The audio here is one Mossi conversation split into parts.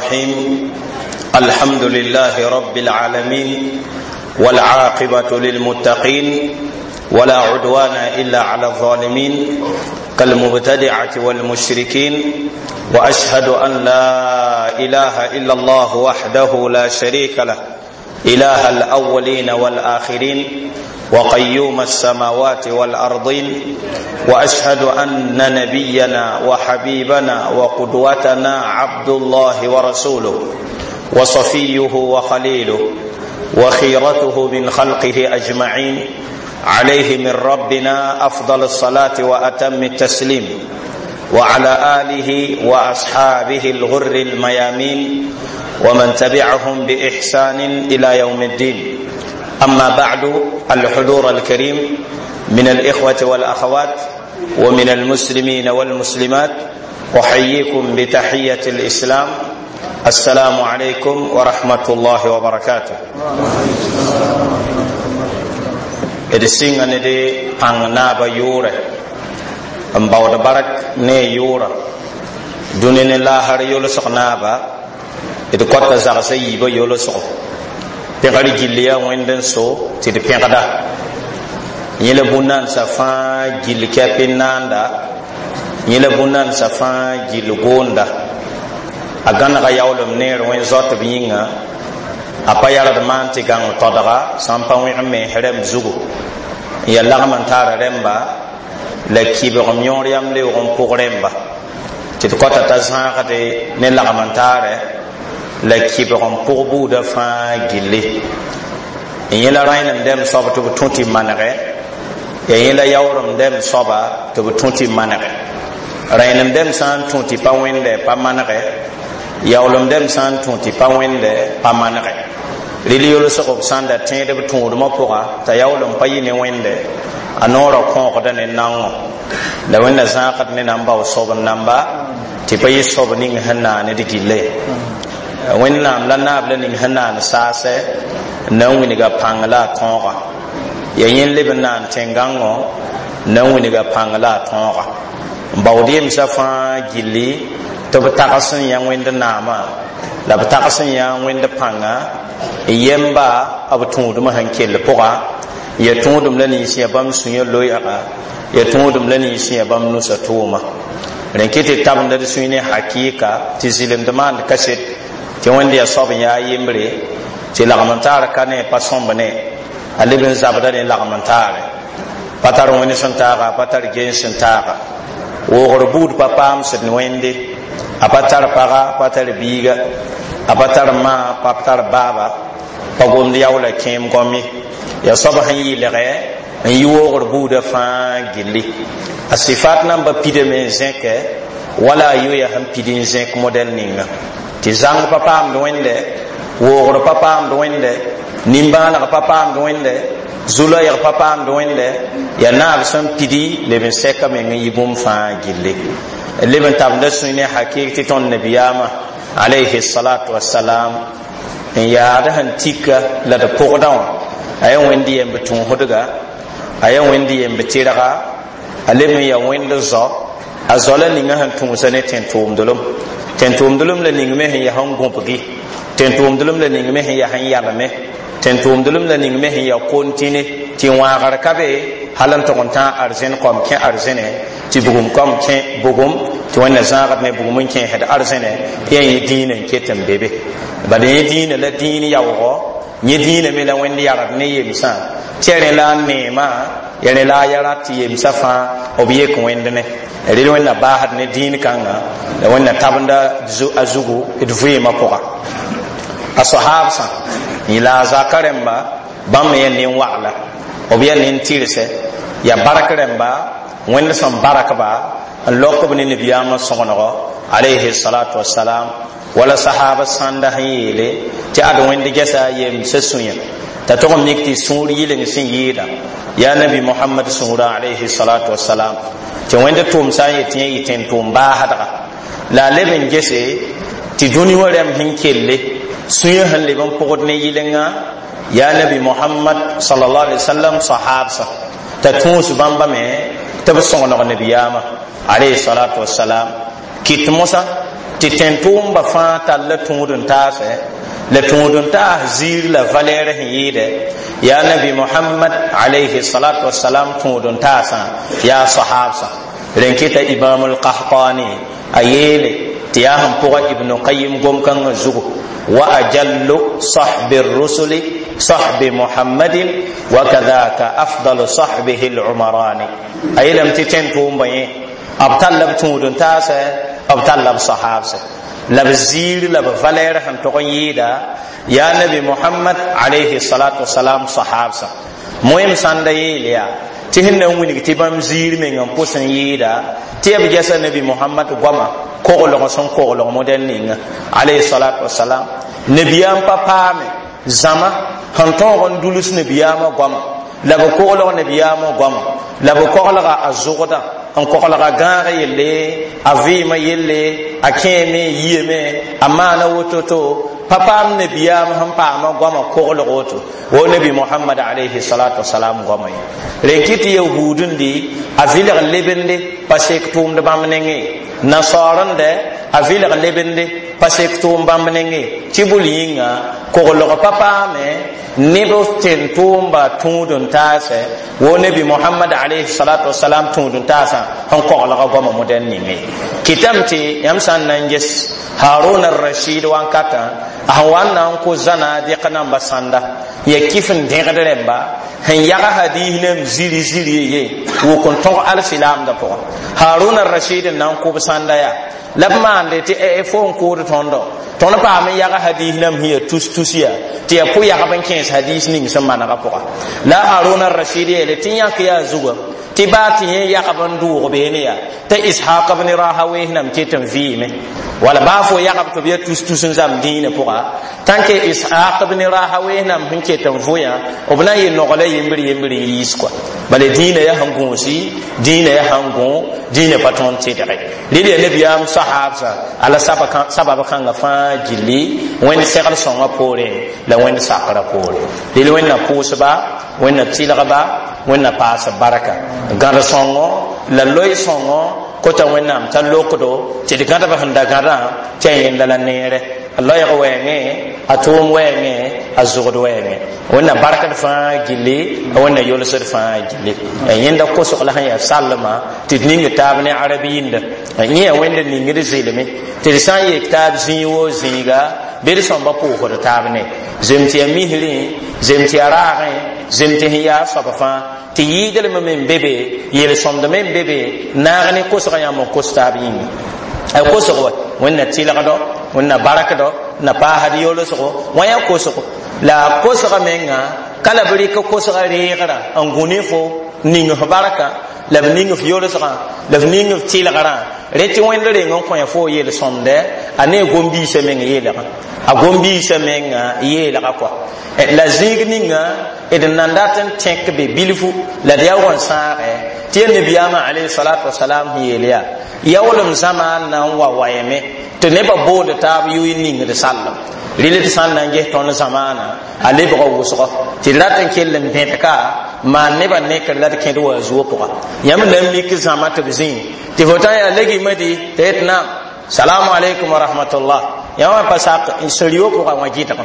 الرحيم. الحمد لله رب العالمين، والعاقبة للمتقين، ولا عدوان إلا على الظالمين كالمبتدعة والمشركين، وأشهد أن لا إله إلا الله وحده لا شريك له، إله الأولين والآخرين، وقيوم السماوات والأرضين، وأشهد أن نبينا وحبيبنا وقدوتنا عبد الله ورسوله وصفيه وخليله وخيرته من خلقه أجمعين، عليه من ربنا أفضل الصلاة وأتم التسليم، وعلى آله وأصحابه الغر الميامين ومن تبعهم بإحسان إلى يوم الدين. أما بعد، الحضور الكريم من الإخوة والأخوات ومن المسلمين والمسلمات، أحييكم بتحية الإسلام: السلام عليكم ورحمة الله وبركاته. D sɩnga ne d pãng naaba yʋʋrɛ n baood bark ne a yʋʋra dũni ne laasr yolsg naaba. D kõta zagsã yiibã yolsgo pẽgr gill yaa Wẽnd n so tɩ d pẽgda yẽ la bũn-nansã fãa gill kɛp n naanda, yẽ la bũn-nansã fãa gill goonda. A gãnega yaoolem neer wẽn zaotb yĩnga, a pa yard maan tɩ gãng todga sã n pa wẽg mens rɛmb zugu n yaa lagm n taara rẽmba la kibgem yõor yam leoog n pʋg rẽmba, tɩ d kõta t'a zãagde ne lagm n taarɛ la kibg n pʋg buudã fãa gilli. N yẽ la rãenem dɛm soab tɩ b tũ tɩ manegɛ, ya yẽ la yaoorem dɛm soaba tɩ b tũ tɩ manegɛ. Rãenem dɛm sã n tũ tɩ pa wẽndɛ, pa manegɛ; yaoolem dɛm sã n tũ tɩ pa wẽndɛ, pa manegɛ. Rɩl yolsg b sã n da tẽed b tũudmã pʋga t'a yaoolem pa yɩ ne wẽnde, a noorã kõogda ne naongõ. La Wẽnna zãagd ne nan bao soab n namba tɩ pa yɩ soab ning sẽn naan d gille. Wẽnnaam la naab la ning sẽn naan saasɛ n na n wilga pãng la a tõoga. Ya yẽ leb n naan tẽn-gãngõ n na n wilga pãng la a tõoga. N baood yemsã fãa gilli tɩ b tags n yã Wẽnd naamã la b tags n yã Wẽnd pãnga n yemba b tũudmã sẽn kell pʋga. Ya tũudum la nins yã bãmb sũyã loeega, ya tũudum la nins yã bãmb nusa tʋʋma. Rẽn kɩ tɩ tabenda d sũy ne hakɩɩka tɩ zɩlemd maand kaset tɩ Wẽnd yaa soab n yaa yembre, tɩ lagm n taar ka ne pa sõmb ne a leb n zabda ne lagm n taare, pa tar wẽnd sẽn taaga, pa tar gen sẽn taaga, woogr buud pa paam sẽd wẽnde, a pa tar paga, pa tar biiga, a pa tar ma, pa tar baaba, pa gomd yaoola kẽem gom ye. Yaa soab sẽn yɩlgɛ n yi woogr buudã fãa gilli. A sifat namba pidame n zẽkɛ wala a yoya sẽn pid n zẽk modɛl ninga, tɩ zãng pa paamd wẽnde, woogr pa paamd wẽnde, nimbãaneg pa paamd wẽnde, zu-loɛɛg pa paamd wẽnde. Yaa naab sẽn pidi leb n sɛka meng n yi bũmb fãa gilli. Leb n tabenda sũy ne hakɩɩk tɩ tõnd nabiyaamã alayhi salatu wasalam n yaad sẽn tika la d pʋgdã wã, a yaa Wẽnd yemb tũusdga, a yaa Wẽnd yemb tɩrga, a leb n yaa Wẽnd zao. A zao la ninga sẽn tũusa ne tẽn-tʋʋmdlem, tẽn-tʋʋmdlem la ning me sẽn yaa sẽn gõbgi, tẽn-tʋʋmdlem la ning me sẽn yaa sẽn yalme, tẽn-tʋʋmdlem la ning me sẽn yaa kontine tɩ wãagr ka be hal n tʋg n tãag arzẽn kom kẽ arzẽne, tɩ bugum kom kẽ bugum, tɩ Wẽnna zãagd ne bugum n kẽesd arzẽne. Yã yẽ dĩinã n ket n be be. Bala yẽ dĩinã la dĩin yaoogɔ, yẽ dĩinã me la Wẽnd yard ne yemsã tɩ ya rẽ la a neemã, ya rẽ la a ya rat tɩ yemsã fãa b yek Wẽnd ne rel. Wẽnna baasd ne dĩin kãnga la Wẽnna tabenda a zugu d vɩɩmã pʋga. A sohaabsã yẽ la a zaka rẽmba, bãmb me yaa nin-wagla, b yaa nin-tɩrsɛ, yaa bark rẽmba, Wẽnd sẽn barakba n lok b ne nabiyaamã sõgengo alayhi salatu wasalam. Wala sahaba sãnda sẽn yeele tɩ ad Wẽnd gɛsa a yemsã sũyã t'a tog n mik tɩ sũur yɩleng sẽn yɩɩda yaa Nabi Mohamad sũurã alayhi salatu wasalam, tɩ Wẽnd tʋʋm sã n yet yẽ yɩ tẽn-tʋʋm baasdga. La a leb n gese tɩ dũni wã rɛm sẽn kelle sũyã sẽn leb n pʋgd ne yɩlenga yaa Nabi Mohamad sallallahu alaihi wasallam sahabsã, t'a tũus bãmba me tɩ b sõgeneg nabiyaamã alayhi salatu wasalam. Kɩt mosã tɩ Tɩ tẽn-tʋʋmba fãa tall tũud n taasɛ la tũud n taas ziir la valɛɛr sẽn yɩɩdɛ yaa Nabi Mohamad alayhi salatu wasalam tũud n taasã yaa sahabsã. Rẽn kɩta Imam Alqahtani a yeele tɩ yaa sẽn pʋga Ibnu Qayim gom-kãngã zugu: wa ajallu sahbi rusuli sahbi Muhammadin wa kadhaka afdalu sahbihi al-umarani. A yeelame tɩ tẽn-tʋʋmbã yẽ b talla b tũud n taasɛ, b talla b sahabsɛ la b ziir la b valɛɛr sẽn tog n yɩɩda yaa Nabi Mohamad alayhi salatu wasalam sahabsã. Moem sãnda yeel yaa tɩ sẽn na n wilg tɩ bãmb ziir meng n pʋs n yɩɩda tɩ ya b gɛsa Nabi Mohamad goama koglg sẽn koglg modɛl ninga alayhi salatu wasalam. Nabiyaam pa paame zãma sẽn tõog n duls nabiyaamã goama la b koglg nabiyaamã goama la b koglga a zʋgdã n koglga gãag yelle, a vɩɩmã yelle, a kẽeme yiyame a maana woto-to pa paam nabiyaam sẽn paama goama koglg woto wo Nabi Mohamad alayhi salatu wasalam goama ye. Rẽn kɩ tɩ yahuudẽndi a vɩlg lebende pa sek tʋʋmd bãmb nengẽ, nasaarẽndɛ a vɩlg lebende pa sek tʋʋm bãmb nengẽ, tɩ bʋl yĩnga koglg pa paame neb tẽn-tʋʋmba tũud n taasɛ wo Nabi Mohamad alayhi salatu wasalam tũud n taasã sẽn koglga goama modɛl ninge. Kɩtame tɩ yãmb sã n na n ges Harun Rashid wankatã a sẽn wa n na n kos zãna-dɩk namba sãnda ya kɩf n dẽgd rẽmba sẽn yag hadiis nem ziri ziri ye wʋk n tõg alsilaamdã pʋgã. Harun Rashid n na n kʋb sãnda yaa la b maande tɩ fo n kʋʋd tõndo tõnd paam n yag hadiis nam sẽn yaa tus tus yaa tɩ yaa pʋ-yagb n kẽes hadiis ning sẽn manegã pʋga. La Harun Rashid yeele tɩ yãk yaa zugã tɩ baa tɩ yẽ yagb n dʋʋg beene yaa t'a Ishaq bn Rahaweh nam ket n vɩɩme wala baa fo yagb tɩ b yaa tus tus n zãmb dĩinã pʋga tãn ke Ishaq bn Rahaweh nam sẽn ket n vʋyã b na n yɩ nogla yembr yembr n yiis kɔa. Bala dĩinã yaa sẽn gũusi, dĩinã yaa sẽn gõ, dĩinã pa tõnd tɩdge rɩl yaa nabiyaam sahabsã ala sabab kãngã fãa gilli Wẽnd segl sõngã poorẽ la Wẽnd sakrã poorẽ. Rɩl Wẽnna pʋʋsba, Wẽnna tɩlgba, Wẽnna paas barka gãd sõngo la loe sõngo kota Wẽnnaam t'a lokdo tɩ d gãdb sẽn da gãdã tɩ a yẽnda la neere a loɛɛg wɛɛngẽ, a tʋʋm wɛɛngẽ, a zʋgd wɛɛngẽ. Wẽnna barkd fãa gilli, Wẽnna yolsd fãa gilli. Yẽnda kosg la sẽn yaa sallmã tɩ d ning taab ne arab yĩnda yẽ yaa Wẽnd ningd zelme tɩ d sã n yek taab zĩig woo zĩiga bɩ d sõmba pʋʋsd taab ne zem tɩ yaa misrẽ, zem tɩ yaa raagẽ, zem tɩ sẽn yaa soab fãa tɩ yɩɩdlem me n be be, yel-sõmd me n be be naag ne kosgã yãmb n kos taab yĩnga. A kosg wa Wẽnna tɩlgdo, Wẽnna barkdo na paasd yolsgo wã yaa kosgo la kosga menga ka la b rɩk kosga reegrã n gũ ne fo ning f barka la b ning f yolsgã la f ning f tɩlgrã rẽ tɩ Wẽnd reng n kõ fo yel-sõmdɛ a ne gom-biisã meng yeelgã a gom-biisã menga yeelga kɔa. La zĩig ninga d nan dat n tẽk be bilfu la d yaoog n sãagɛ tɩ ya nabiyaamã alayhi salatu wasalam sẽn yeel yaa yaoolem zãmaan na n wa wayame tɩ nebã boond taab yʋɩ ningd sallem rɩl d sã n na n ges tõnd zamaana a lebga wʋsgɔ tɩ d rat n kell n bẽd ka maan nebã nekr la d kẽd wa a zuo pʋga. Yãmb na n mik zãma tɩ b zĩi tɩ fo tã yaa legimdi tɩ yet naam salamu alaikum wa rahmatullah yãmb pa sak sẽn-rio pʋga wã gɩdg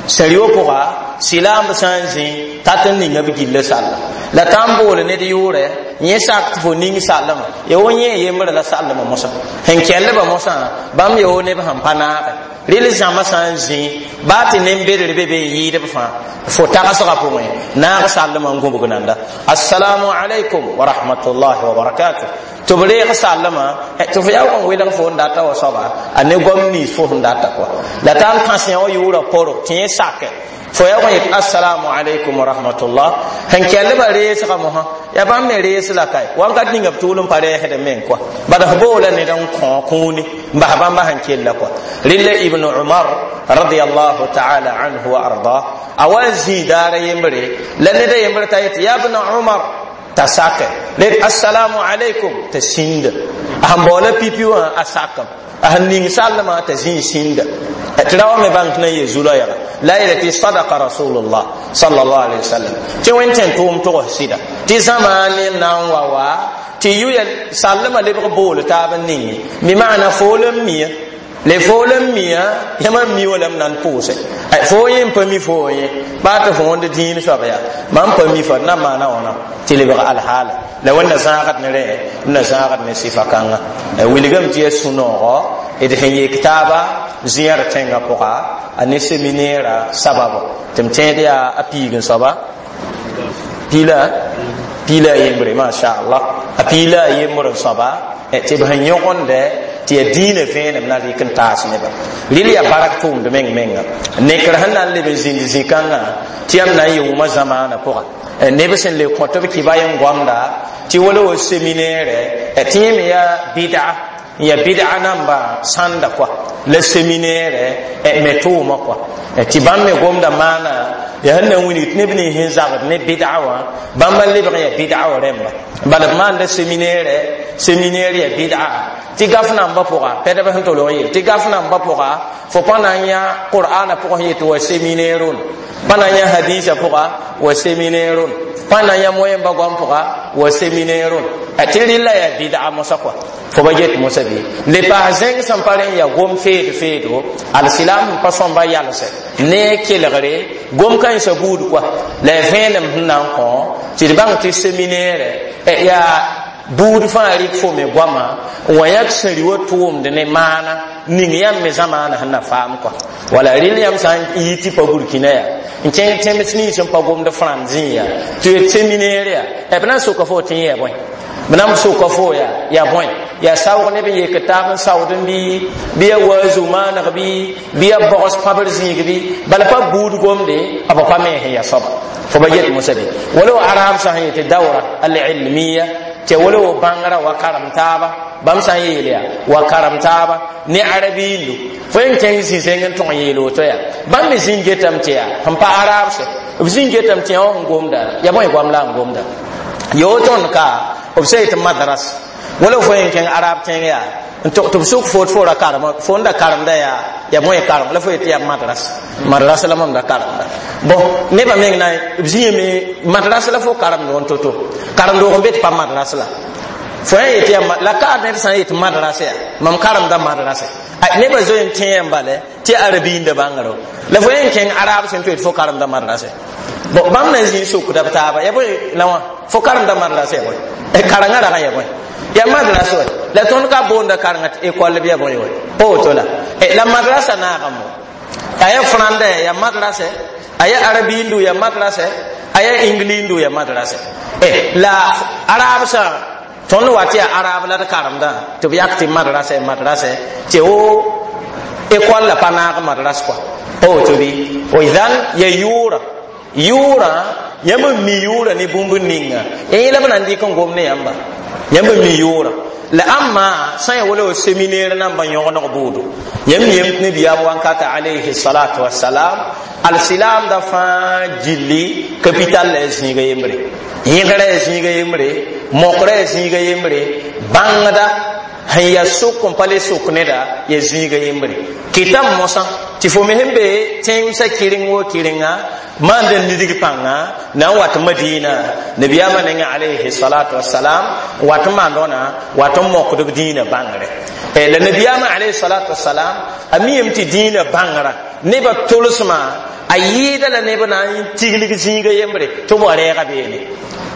sẽn-rio pʋga silaamb sã n zĩ tat n ninga b gilla salla la tã n bool ned yʋʋrɛ yẽ sak tɩ fo ning sallmã ya wo yẽ yembrã la sallmã mosã sẽn kɛllbã mosã bãmb ya wo neb sẽn pa naagɛ rɩl zãma sã n zĩ baa tɩ nen-bedr be be n yɩɩdb fãa fo tagsgã pʋgẽ naag sallmã n gũbg nanda assalamu alaikum wa rahmatullahi wa barakatuh tɩ b reeg sallmã tɩ fo yaoog n welg fo n data wa soaba a ne goam nins fo sẽn data kɔa la t'a n kãs yã wa yʋʋra poro tɩ yẽ sake fo yaoog n yet assalamu alaikum wa rahmatullah sẽn kɛllbã reesgã mosã yaa bãmb me rees la kae wãnkat ninga b tʋʋl n pa reesd meng kɔa bad f boola ned n kõ kũuni n bas bãmba sẽn kella kɔa. Rɩlla Ibn Umar radiallahu taala anhu wa arda a wa n zĩi daara yembre la ned a yembr t'a yetɩ ya bna Umar t'a sake red assalamu alaikum t'a sĩnda a sẽn baoola pipi wã a sakam a sẽn ning sallmã t'a zĩig sĩnda tɩ ra wa me bãng tɩ na n yee zu-loɛɛga la a yeela tɩ sadaka rasulullah sallallahu alaihi wasallam tɩ Wẽnd tẽn tʋʋm togs sɩda tɩ zãma ne na n wa wa tɩ yʋ ya sallmã lebg bool taab n ninge mi maana fool n mia. Le fo la mia yãmb n mi wã la m na n pʋʋse fo yẽ n pa mi fo yẽ baa tɩ fo wõnd dĩin soab yaa mam pa mi fa d na n maana wãna tɩ lebg alhaala la wẽnna zãagd ne rẽ d na zãagd ne sɩfa kãnga wilgame tɩ yaa sũ-noogo d sẽn yek taaba zẽer tẽngã pʋga a ne seminɛɛrã sababo tɩ m tẽed yaa a piig n soaba piila a yembre mashallah a piila a yembr n soaba tɩ b sẽn yõgendɛ tɩ yaa dĩinã vẽenem na rɩk n taas nebã rɩl yaa bark tʋʋmd meng menga nekr sẽn na n leb n zĩnd zĩ-kãngã tɩ yãmb na n yɩ wʋma zamaanã pʋga neb sẽn le kõ tɩ b kɩba yen goamda tɩ wala wa seminɛɛrɛ tɩ yẽ me yaa bɩda n yaa bɩda namba sãnda kɔa la seminɛɛrɛ me tʋʋmã kɔa tɩ bãmb me gomda maana yaa sẽn na n wilg tɩ neb nins sẽn zagd ne bɩda wã bãmb n lebg n yaa bɩda wã rẽmba bala b maanda seminɛɛrɛ seminɛɛr yaa bɩda tɩ gaf nambã pʋga pɛdb sẽn tolg n yeel tɩ gaf nambã pʋga fo pa na n yã qur'ana pʋgã sẽn yet wa seminɛɛrun pa na n yã hadisa pʋga wa seminɛɛrun pa na n yã moẽmba goam pʋga wa seminɛɛrun tɩ rɩlla yaa bɩda mosã kɔa fo ba get mosã bɩ le paas zẽng sẽn pa rẽ n yaa gom feed feedo alsilam sẽn pa sõmba yalsɛ ne kelgre gom kãensã buud kɔa la ya vẽenem sẽn na n kõ tɩ d bãng tɩ seminɛɛrɛ yaa buud fãa rɩk fo me goama n wa yãk sẽn rɩ wa tʋʋmd ne maana ning yãmb me zamaana sẽn na faam kɔa wala rɩl yãmb sã n yi tɩ pa burkina yaa n kẽng tẽms nins sẽn pa gomd frãnd zĩ yaa tɩ yet seminɛɛr yaa b na n soka fo tɩ yẽ ya bõe b na n soka fo yaa ya bõe yaa saoog neb n yek taab n saood n bɩ ya waazu maaneg bɩ ya bogs pãbr zĩig bɩ bala pa buud gomde b pa me sẽn ya soaba fo ba get mosã bɩ wala wa arab sã sẽn yetɩ dawra alilmiya tɩ wala wa bãngrã wa karem taaba bãmb sã n yeel yaa wa karem taaba ne arabiindu fo yen kẽng zĩ-zẽng n tõg n yeel woto yaa bãmb me zĩn getame tɩ yaa sẽn pa arabse b zĩn getame tɩ yã wã sẽn gomda ya bõe goam la n gomda yo tõnd ka b sã yetɩ madras wala fo yen kẽng arab tẽng yaa tɩ b sʋk fo tɩ fo ra karem fo n da karemda yaa ya bõe karem la fo yetɩ yaa madras madras la mam da karemda bon nebã meng na b zĩame madras la fo karemd n to-to karem-doog n be tɩ pa madras la fo yã yetɩ yaa la ka ned sã n yetɩ madrasa yaa mam karemda madrasa nebã zoe n tẽ yãmb bale tɩ arabiinda bãngro la fo yẽn kẽng arab sẽn tɩ yetɩ fo karemda madrasa bon bãmb na n zĩ sokda b taaba ya bõe la wã fo karemda madrasa ya bõe karengã rag n ya bõe ya madrasa wa la tõnd ka boonda karengã tɩ ekɔl bɩ ya bõe wa pa woto la la madrasa naagame a ya frãnda ya madrasa a ya arabiindu ya madrasa a ya inglindu ya madrasa la arab sã tõnd wa tɩ yaa arab la d karemdã tɩ b yak tɩ madrasa madrasa tɩ wo ekɔl la pa naag madras kɔa pa woto bɩ idan ya yʋʋra yʋʋrã yãmb n mi yʋʋra ne bũmb ninga yẽ la b na n dɩk n gom ne yãmba yãmb n mi yʋʋra la ãmma sã n ya wala wa seminɛɛr nambã yõgeneg buudo yãmb yem tɩ nabiyaam wankata alayhi salatu wasalam alsilaamda fãa gilli kapital la ya zĩiga yembre yẽgra ya zĩiga yembre mokra ya zĩiga yembre bãngda sẽn yaa sʋk n pa le sʋk neda ya zĩiga yembre kɩtame mosã tɩ fo me sẽn be tẽmsã kɩreng wo kɩrenga maand n lidg pãnga na n wat madina nabiyaamã nengã alayhi salatu wasalam wat n maand wãna wat n mokd b dĩinã bãngre la nabiyaamã alayhi salatu wasalam a miyame tɩ dĩinã bãngrã nebã tolsmã a yɩɩda la neb na n tiglg zĩiga yembre tɩ b wa rɛɛga beene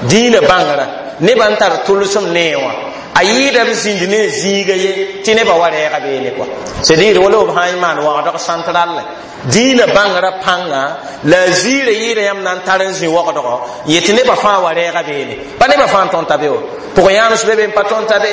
dĩinã bãngrã nebã n tar tolsem nee wã a yɩɩda b zĩnd ne zĩiga ye tɩ nebã wa rɛɛga beene kɔa c'est dire wala b sã n maan wagdg central dĩinã bãngrã pãnga la a ziirã yɩɩda yãmb na n tar n zĩ wagdgɔ yetɩ nebã fãa wa rɛɛga beene pa nebã fãa n tõnd t'a be wa pʋg-yãams be be n pa tõnd t'a be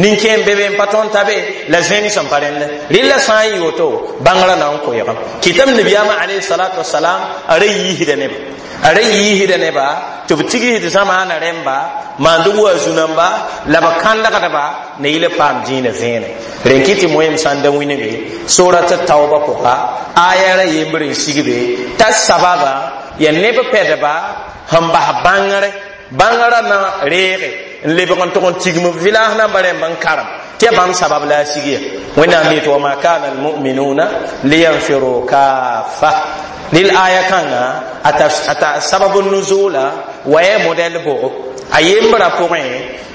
nin-kẽem be be n pa tõnd t'a be la zẽng sẽn pa rẽndẽ rɩlla sã n yɩ woto bãngrã na n koeegame kɩtame nabiyaamã alayhi salatu wasalam a ra yiisda neba a ra yiisda neba tɩ b tigsd zamaana rẽmba maand wa zu-namba la b kãndgdba na yɩl paam dĩinã vẽene rẽn kɩ tɩ moeem sã n da wĩnge sorat taoobã pʋga aya ra yembr n sigbe t'a sababa ya neb pɛdba sẽn bas bãngre bãngrã na reege n lebg n tʋg n tigm b vɩlaas namba rẽmb n karem tɩ ya bãmb sabab la a sig ya wẽnnaam yetɩ wama kana almuminuna liyanfiru kafa lil aya kãnga ata sababu nuzula Wa model bʋgo a yembra pʋgẽ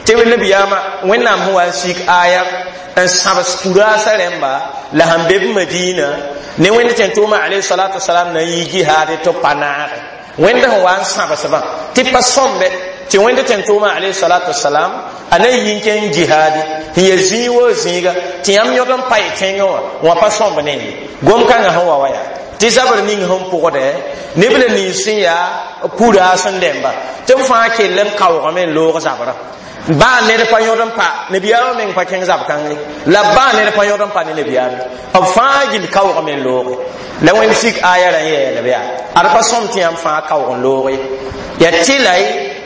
tɩ nabiyaamã Wẽnnaam sẽn wa n sik aya n sãbs puraasã rẽmba la sẽn be b Madina ne Wẽnd tẽn-tʋʋmã alayhi salatu wasalam na n yi jihaad tɩ pa naage. Wẽnd sẽn wa n sãbsbã tɩ pa sõmbe tɩ Wẽnd tẽn-tʋʋmã alayhi salatu wasalam a na yi n kẽng jihaadi sẽn ya zĩig woo zĩiga tɩ yãmb yõd n pa y tẽngẽ wã wã pa sõmb ne ye gom-kãngã sẽn wa wa yaa tɩ zabr ning sẽn pʋgdɛ neb la nins sẽn yaa puraas n dẽmba tɩ b fãa kell n kaoogame n loog zabrã. Baa ned pa yõd n pa nabiyaamã meng pa kẽng zab kãng ye la baa ned pa yõd n pa ne nabiyaame b fãa gill kaoogame n looge la Wẽnd sik aya rã n yeelb yaa ad pa sõm tɩ yãmb fãa kaoog n looge yaa tɩ la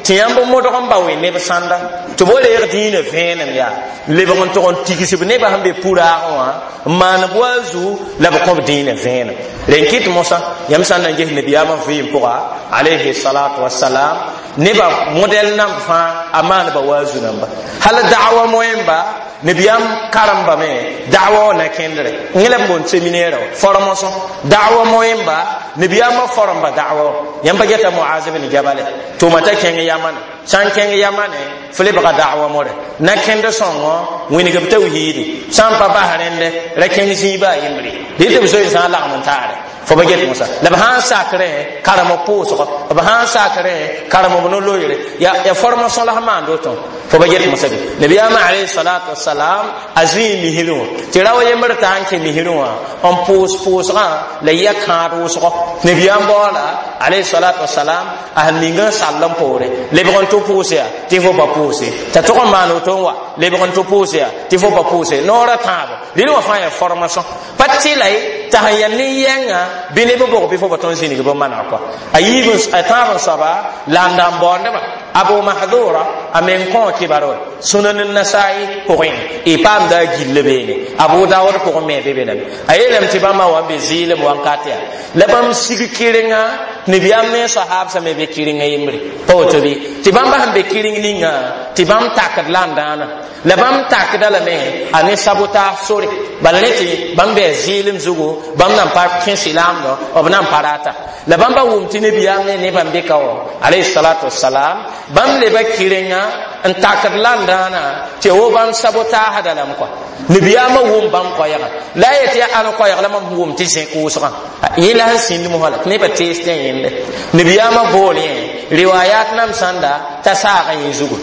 tɩ yãmb modg n ba we neb sãnda tɩ bo reeg dĩinã vẽenem yaa lebg n tʋg n tigsb nebã sẽn be puraagẽ wã n maan b wa zu la b kõb dĩinã vẽenem. Rẽn kɩt mosã yãmb sã n na n ges nabiyaamã vɩɩm pʋga alayhi salatu wasalam nebã modɛl namb fãa a maanba wa zu namba hal da'wa moẽmba nabiyaam karembame da'wa wã na kẽndre yẽ la b boond séminaire wã formation da'wa moẽmba nabiyaamã foremba da'wa wã yãmb pa geta Muaz bin Jabale tʋʋma t'a kẽng Yamane sã n kẽng Yamane fo lebga da'wa more na kẽnd sõngo wĩnigb tawhiidi sã n pa bas rẽnde ra kẽng zĩiba a yembre dɩ tɩ b zoe sã n lagm n taare fo ba get mosã la b sã n sakrẽ karem b pʋʋsgɔ b sã n sakrẽ karem b no-loeere ya formation la sẽn maand woto fo ba get mosã be nabiyaamã alayhi salatu wasalam a zĩig misrẽ wã tɩ rao yembr t'a n kẽ misrẽ wã n pʋʋs pʋʋsgã la ya kãad wʋsgɔ nabiyaam baoola alayhi salatu wasalam a sẽn ning n sall n poore lebg n tɩ pʋʋs yaa tɩ fo pa pʋʋse t'a tʋg n maan woto n wa lebg n tɩ pʋʋs yaa tɩ fo pa pʋʋse noorã tãabo rɩl wã fãa yaa formation pa tɩ la ye t'a sẽn yaa nin-yɛngã bɩ neb bʋg bɩ fo pa tõnd zĩnig bɩ maneg kɔa a yiib a tãab n soaba la n da n baoondbã Abu Mahdura a meng kõ kibar wa Sunan Nasai pʋgẽ y paamda a gill beene Abu Dawud pʋgẽ me be be lame a yeelame tɩ bãmba wa n be zɩɩlem wãnkat yaa la bãmb sig kɩrenga nabiyaam ne sahabsã me be kɩrengã yembre pa woto bɩ tɩ bãmba sẽn be kɩreng ninga tɩ bãmb takd la n dãana la bãmb takda lame a ne sabotage sore bala ne tɩ bãmb bɩ zɩɩlem zugu bãmb nan pa kẽ silaamdɔ b nan pa rata la bãmba wʋm tɩ nabiyaam ne nebã n be ka wã alayhi salatu wasalam bãmb leba kɩrenga n takd la n dãana tɩ wo bãmb sabotaasda lame kɔa nabiyaamã wʋm bãmb koɛɛgã la a yetɩ yaa ãn koɛɛg la mam wʋm tɩ zẽ kʋʋsgã yẽ la sẽn sĩnd mosã la tɩ nebã tees tɩ yẽnde nabiyaamã bool yẽ riwayat nam sãnda t'a saagã yẽ zugu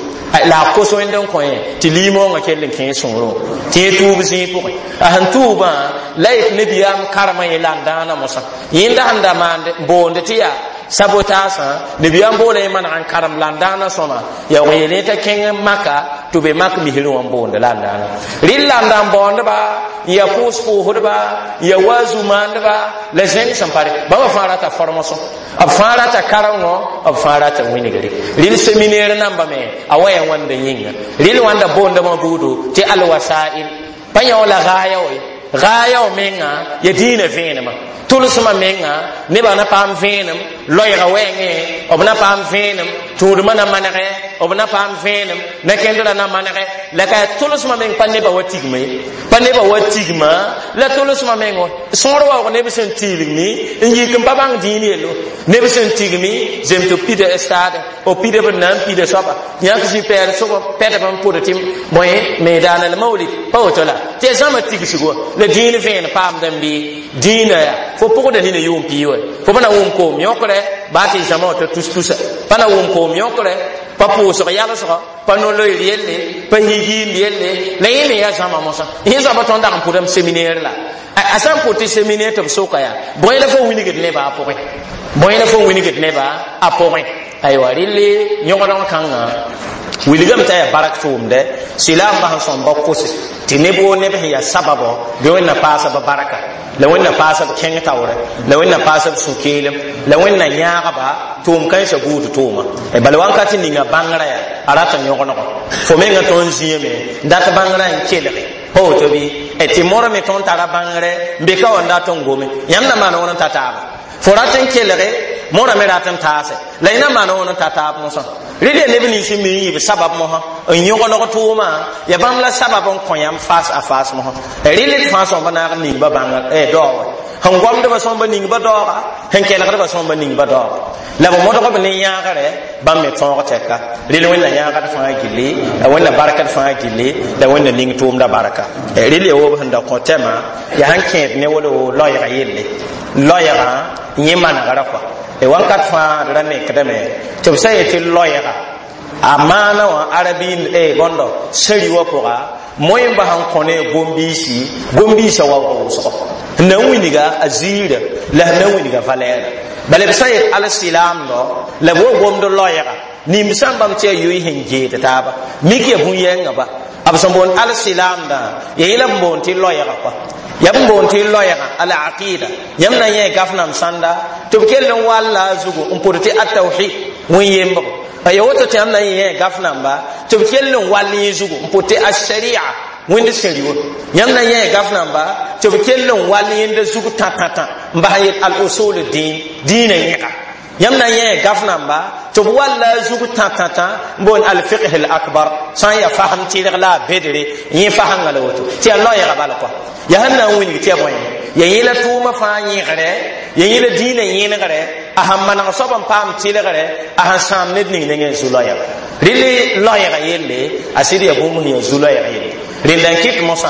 la a kos Wẽnd n kõ yẽ tɩ liimoongã kell n kẽ sõorẽ tɩ yẽ tuub zĩig pʋgẽ a sẽn tuubã la yet nabiyaam karemã yẽ la n dãana mosã yẽnda sẽn da maand boond tɩ yaa sabotaasã nabiyaam boola yẽ maneg n karem la n dãana sõma yaa wa yeel t'a kẽng Maka tɩ be mak misrẽ wã n boond la n dãana rɩl la n da n baoondba n yaa pʋʋs pʋʋsdba n yaa waazu maandba la zẽng sẽn pare bãmba fãa rata formation b fãa rata karengo b fãa rata wĩnigre rɩl séminaire namba me a wa yaa wãnda yĩnga rɩl wãnda boondmã buudu tɩ alwasail pa yã la gaaya wa gaaya wa menga ya dĩinã vẽenemã tʋlsmã menga nebã na paam vẽenem loɛɛga wɛɛngẽ b na paam vẽenem tũudmã na manegɛ b na paam vẽenem na-kẽndrã na manegɛ la ka tʋlsmã meng pa nebã wa tigma ye pa nebã wa tigma la tʋlsmã meng sõor waoog neb sẽn tilgmi n yik n pa bãng dĩin yello neb sẽn tigmi zem tɩ pida stade b pida b na n pida soaba yãk zĩ pɛɛl sʋgɔ pɛdb n pʋd tɩ bõe meedaana la mawlid pa woto la tɩ ya zãma tigsg wa la dĩin vẽen paamd n bɩ dĩinã yaa fo pʋgda nina yʋʋm pii wa fo pa na wʋm koom yõkre baa tɩ zãma wã t'a tus-tusa pa na wʋm koom yõkre pa pʋʋsg yalsgɔ pa no-loeer yelle pa higiimb yelle la yẽ me yaa zãma mosã yẽ zãma tõnd dag n pʋdame séminaire la a sã n pʋd tɩ séminaire tɩ b soka yaa bõe la fo wilgd nebã a pʋgẽ bõe la fo wilgd nebã a pʋgẽ aywa rɩle yõgdg kãngã wilgame t'a yaa barak tʋʋmdɛ silaambã sẽn sõmba kose tɩ neb woo neb sẽn yaa sababɔ bɩ Wẽnna paasa b barka la Wẽnna paasa b kẽng taoorɛ la Wẽnna paasa b sũ-keelem la Wẽnna yãagba tʋʋm kãensã buud tʋʋma bala wãnkat ninga bãngrã yaa a rata yõgenegɔ fo mengã tõnd zĩame dat bãngrã n kelge pa woto bɩ tɩ morame tõnd tara bãngrɛ n be ka wa n dat n gome yãmb na maan wãn n ta taaba fo rat n kelge morame rat n taase la yẽ na maan wãn n ta taab mosã rɩl yaa neb nins n mi n yɩ b sabab mosã n yõgeneg tʋʋmã ya bãmb la sabab n kõ yãmb faas a faas mosã rɩl d fãa sõmb naag n ningba bãng daoowɛ Sẽn gomdbã sõmba ning ba daooga, sẽn kelgdbã sõmba ning ba daooga, la b modg b ne yãagre bãmb me tõog tɛka. Rel Wẽnna yãagd fãa gilli, la Wẽnna barkd fãa gilli, la Wẽnna ning tʋʋmda barka. Rel ya wob sẽn da kõ tɛmã yaa sẽn kẽed ne wolo loɛɛga yelle, loɛɛgã yẽ manegrã kɔa. Wãnkat fãa d ra nekdame tɩ b sã yetɩ loɛɛga a maana wã arabi bõndo sẽri wã pʋga moẽ n bas n kõ ne gom-biisi, gom-biisã waoog wʋsgo n na n wilga a ziirã la sẽn na n wilga valɛɛra. Bala b sã yet alsilaamdɔ la b wa gomd loɛɛga nimb sã n bãmb tɩ yaa yoy sẽn geed taaba mik ya bũn-yɛngã ba b sẽn boond alsilaamdã ya yẽla b boond tɩ loɛɛga kɔa, yaa b boond tɩ loɛɛga al-aqida. Yãmb na n yẽ gaf nam sãnda tɩ b kell n walla a zugu n pʋd tɩ atawhid wẽn-yembgo ya woto tɩ yãmb na n yẽ gaf namba tɩ b kell n wall yẽ zugu n pʋd tɩ asharia wẽnd sẽri wã. Yãmb na n yẽ gaf namba tɩ b kell n wall yẽnda zug tã-tã-tã n bas n yet al-usul dĩin dĩinã yẽga. Yãmb na n yẽ gaf namba tɩ b walla a zug tã-tã-tã n boond al-fiqh al-akbar sã n yaa fasem tɩrg la a bedre yẽ fasengã la woto tɩ yaa loɛɛga bala kɔa. Yaa sẽn na n wilg tɩ yaa bõe ya yẽ la tʋʋmã fãa yẽgre, ya yẽ la dĩinã yẽnegre, a sẽn maneg soab n paam tɩlgre, a sẽn sãam ned ning nengẽ zu-loɛɛga. Rɩl loɛɛga yelle a sɩd yaa bũmb sẽn yaa zu-loɛɛga yelle. Rẽnda n kɩt mosã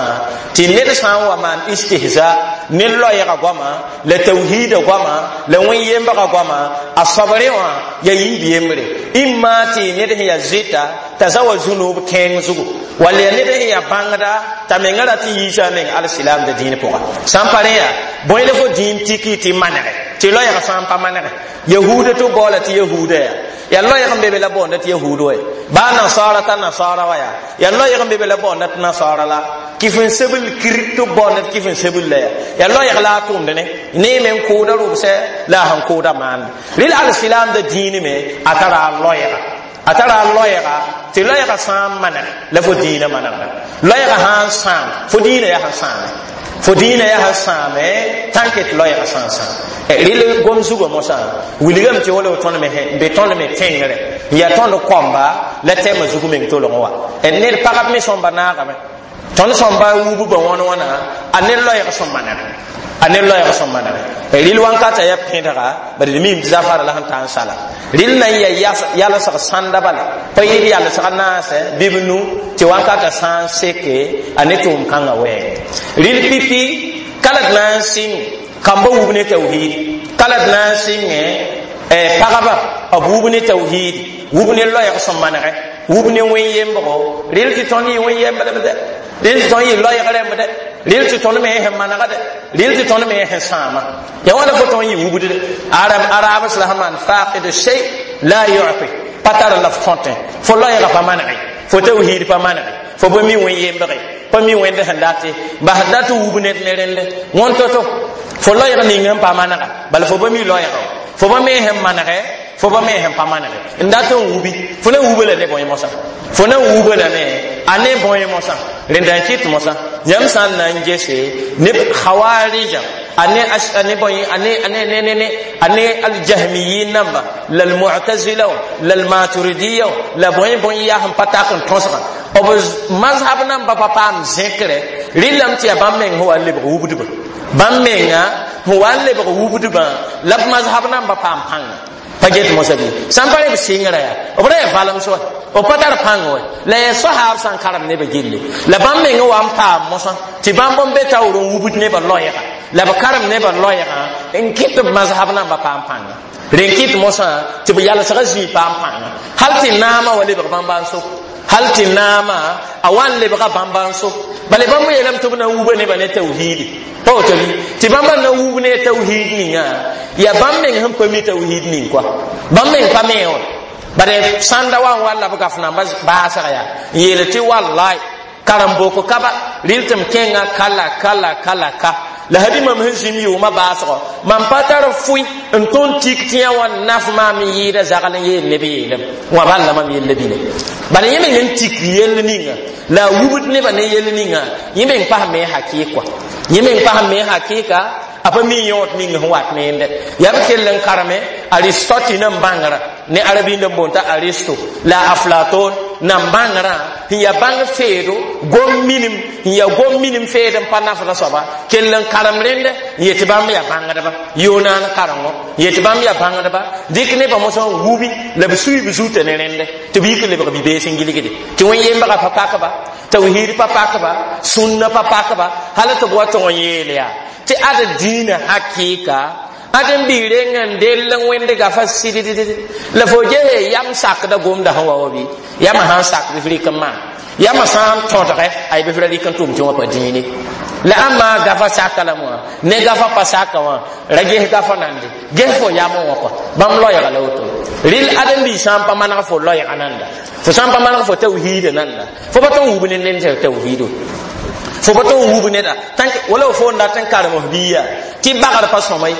tɩ ned sã n wa maan istihza ne loɛɛga goama la tawhiida goama la wẽn-yembga goama a soabrẽ wã yaa yiib yembre imma tɩ ned sẽn yaa zɩta t'a za wa zũnub kẽeng zugu, wall yaa ned sẽn yaa bãngda t'a mengã rat n yiisa a meng alsilaamda dĩin pʋga. Sã n pa rẽ yaa bõe la fo dĩin tiki tɩ manege tɩ loɛɛg sã n pa manege yahuuda tɩ baoola tɩ yahuuda yaa yaa loɛɛg n be be la boonda tɩ yahuud wa baa nasaara t'a nasaara wa yaa yaa loɛɛg n be be la boonda tɩ nasaara la kɩf n sebl kir tɩ boonda tɩ kɩf n sebl la yaa yaa loɛɛg la a tʋʋmd ne ne me n kʋʋda rʋbsɛ la a sẽn kʋʋda maande. Rɩl alsilaamda dĩin me a tara a loɛɛga, a tara a loɛɛga tɩ loɛɛga sã n maneg la fo dĩinã manegda, loɛɛga sã n sãam fo dĩinã yaa sẽn sãame, fo dĩinã yaa sẽn sãame tãnke tɩ loɛɛga sã n sãam. Rɩl gom zugã mosã wilgame tɩ wala tõnd me n be tõnd me tẽngre n yaa tõnd kõmba la tɛmã zug meng tolg wa ned pagb me sõmba naagame tõnd sõmba wubba wãn wãna a ne loɛɛg sẽn manege, a ne loɛɛg sẽn manege. Rɩl wãnkata yaa pẽdga bad d mim tɩ zafara la sẽn ta n sala rɩl na n yaa yalsg sãnda bala pa yɩɩd yalsg naasɛ bɩ b nu tɩ wãnkata sã n seke a ne tʋʋm kãngã wɛɛng. Rɩl pipi ka la d na n sɩng kamba wub ne tawhiid, ka la d na n sɩngẽ pagba b wub ne tawhiid, wub ne loɛɛg sẽn manegɛ, wub ne wẽn-yembgo. Rɩl tɩ tõnd yɩ wẽn-yembdb dɛ, rɩl tɩ tõnd yɩ loɛɛg rãmb dɛ, rɩl tɩ tõnd me sẽn manega dɛ, rɩl tɩ tõnd me sẽn sãama ya wãna fo tõnd yɩ wubd dɛ. Arabs la sẽn maan faqid shay la yu'ti pa tar la f tõtẽ fo loɛɛga pa manege, fo tawhiid pa manege, fo pa mi wẽn-yembge, pa mi wẽnd sẽn date bas dat n wub ned ne rẽnde wõn to-to fo loɛɛg ning n pa manega bala fo pa mi loɛɛga, fo pa me sẽn manegɛ, fo pa me sẽn pa manege n dat n wubi fo na wuba la ne bõe mosã, fo na wuba la ne a ne bõe mosã. Rẽnda n kɩt mosã yãmb sã n na n gese ne khawarija ane ane bõe ane ane ne ne ne ane aljahmiyin namba la almu'tazila la almaturidiya la bõe bõe yaa sẽn pa tak n tõsgã b mazhab namba pa paam zẽkre rɩlame tɩ yaa bãmb meng sẽn wa n lebg wubdbã, bãmb menga sẽn wa n lebg wubdbã la b mazhab namba paam pãnga pa get mosã bɩ sã n pa rẽ b sɩngrã yaa b ra yaa valem soa b pa tar pãng wa la yaa soahaab sã n karem nebã gilli la bãmb meng wa n paam mosã tɩ bãmb n be taoor n wubd nebã loɛɛga la b karem nebã loɛɛgã n kɩt b mazhab namba paam pãnga. Rẽn kɩt mosã tɩ b yalsgã zĩig paam pãnga hal tɩ naamã wa lebg bãmba n so, hal tɩ naamã a wa n lebga bãmba n so bala bãmb yeelame tɩ b na n wuba nebã ne tawhiidi pa woto bɩ tɩ bãmba na n wub ne tawhiid ninga yaa bãmb meng sẽn pa mi tawhiid ning koa bãmb meng pa me wã bare sãnda wa n wa la b gaf namba baasg yaa n yeel tɩ wallai karem-boko ka ba rɩl tɩ m kẽnga kala kala kala ka la habi mam sẽn zĩm yʋʋmã baasgɔ mam pa tar fʋɩ n tõnd tik tɩ yã wã naf maam n yɩɩda zagl n yeel neb yeelem wã bal la mam yella bine bala yẽ meng n tik yell ninga la a wubd nebã ne yell ninga yẽ meng pasme hakɩɩk yẽ meng pasme hakɩɩka a pa mi yõod ning sẽn wat neende yaa b kell n kareme Aristote nan bãngrã ne arabind n boond t'a Aristo la Aflaton Nan bãngrã sẽn yaa bãng feedo gom minim sẽn yaa gom minim feed n pa nafda soaba kell n karem rẽndɛ n yet tɩ bãmb yaa bãngdba yoonaan karengo n yet tɩ bãmb yaa bãngdba dɩk nebã mosã n wubi la b sui b zutã ne rẽndɛ tɩ b yik n lebg bi-bees n gilgde tɩ wẽn-yembga pa pakba, tawhid pa pakba, sũnna pa pakba, hal tɩ b wa tog n yeel yaa tɩ ad dĩinã hakɩɩka ad n bi reng n dell n wẽnd gafa sɩdd la fo gese yam sakda gomda sẽn wa wa bɩ yamã sãn sak bɩ f rɩk n maan yamã sã n tõdgɛ ay bɩ f ra rɩk n tʋm tɩ wã pa dĩine la ãmba gafa saka la wã ne gafa pa saka wã ra ges gafa nande ges fo yamẽ wã kɔ bãmb loɛɛga la woto rɩl ãdem-biig sã n pa maneg fo loɛɛga nanda fo sã n pa maneg fo tawhiida nanda fo pa tõn wub ne ned tɩ tawhiido fo pa tõn wub neda wala fo n dat n karem f biiga tɩ bagr pa sõma ye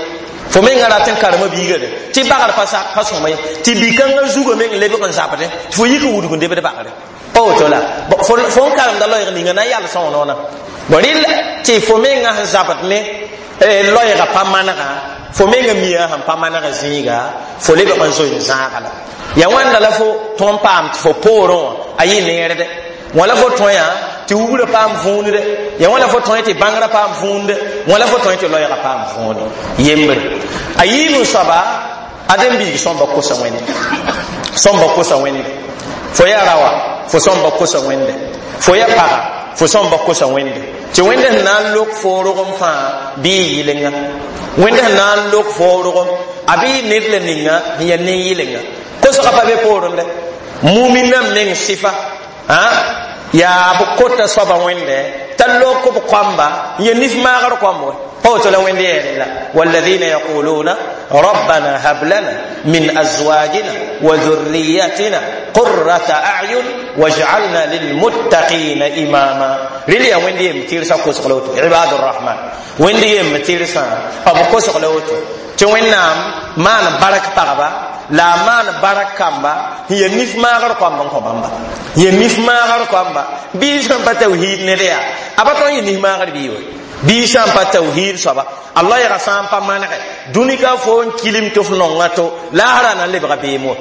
fo menga rat n karema biiga de tɩ bagr pa sõma ye tɩ bi-kãngã zugã meng lebg n zabdẽ tɩ fo yik n wudg n debd bagre pa woto la fo n karemda loɛɛg ninga na n yals wã noona bon rɩl tɩ fo menga sẽn zabd ne loɛɛga pa manega fo menga mia sẽn pa maneg zĩiga fo lebg n zoe n zãaga la ya wãnda la fo tõn paam tɩ fo poorẽ wã a yɩ neerde wã la fo tõe yã tɩ wubrã paam võonde ya wã la fo tõe tɩ bãngrã paam võonde wã la fo tõe tɩ loɛɛga paam võonde yembre a yiib n soaba ãdem-biig sõmba kosa wẽnde sõmba kosa wẽnde fo yaa raoa fo sõmba kosa wẽnde fo yaa paga fo sõmba kosa wẽnde tɩ wẽnd sẽn na n lok fo rogem fãa bɩ y yɩlenga wẽnd sẽn na n lok fo rogem a bɩ y ned la ninga sẽn yaa nin-yɩlenga kosga pa be poorẽ dɛ muminã meng sɩfa yaa b kota soaba wẽnde t'a lok b koamba n ya nif maagr koamb we pa woto la wẽnd yɛɛre la walladina yaquluna rabbana hab lana min azwajina wa dhurriyatina qurrata a'yun waj'alna lilmuttaqina imama rɩl yaa wẽnd yem tɩrsa kosg la woto ibadu rrahman wẽnd yem tɩrsã b kosg la woto tɩ wẽnnaam maan bark pagba la a maan barak kamba n ya nif maagr koamb n kõ bãmba ya nif maagr koamba bii sãn pa tawhiid ned yaa a pa tõn yɩ nif maagr bii we bii sã n pa tawhiid soaba a loɛɛga sã n pa manegɛ dũni ka fo n kilim tɩ f nonga to laasra na n lebga beem wa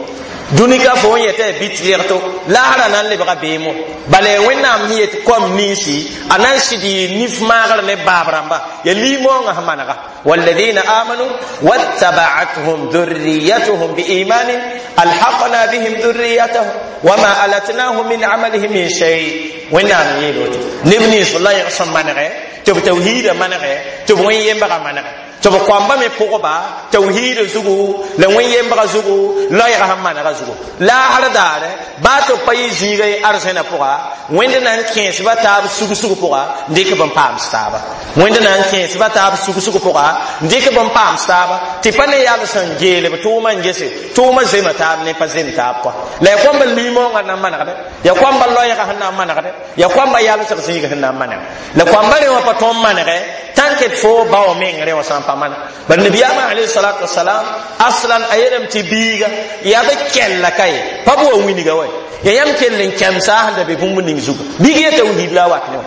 dũni ka fo n yeta ya bɩ tɩrg to laasra na n lebga beem wa bala ya wẽnnaam sẽn yet koam ninsi a na n sɩd yɩ nif maagr ne baab rãmba ya liimoongã sẽn manega والذين آمنوا واتبعتهم ذريتهم بإيمان ألحقنا بهم ذريتهم وما ألتناهم من عملهم من شيء وإنهم يلوت نبني صلى الله عليه وسلم منغه تب توحيد منغه تب وين ينبغى منغه tɩ b koamba me pʋgba tawhiid zugu la wẽn-yembga zugu loɛɛga sẽn manega zugu laasr daare baa tɩ b pa yɩ zĩiga ye arzẽna pʋga wẽnd na n kẽesba taab sug-sug pʋga n dɩk b n paams taaba wẽnd na n kẽesba taab sug-sug pʋga n dɩk b n paams taaba tɩ pa ne yals n geel b tʋʋmã n gese tʋʋmã zema taab ne pa zem taab kɔa la ya koamba liimoongã na n manegdɛ ya koamba loɛɛga sẽn na n manegdɛ ya koamba yalsg zĩiga sẽn na n maneg la koamba rẽ wã pa tõnd manegɛ tãn ket fo bao meng rẽ wã sã n pa maneg bari nabiyaamã alayhi salatu wasalam aslan a yeelame tɩ biiga yaa b kɛlla ka ye pa b wa wĩnga wa ya yãmb kell n kẽmsa sẽn da be bũmb ning zugu biig ya tawhiid la a wat ne wã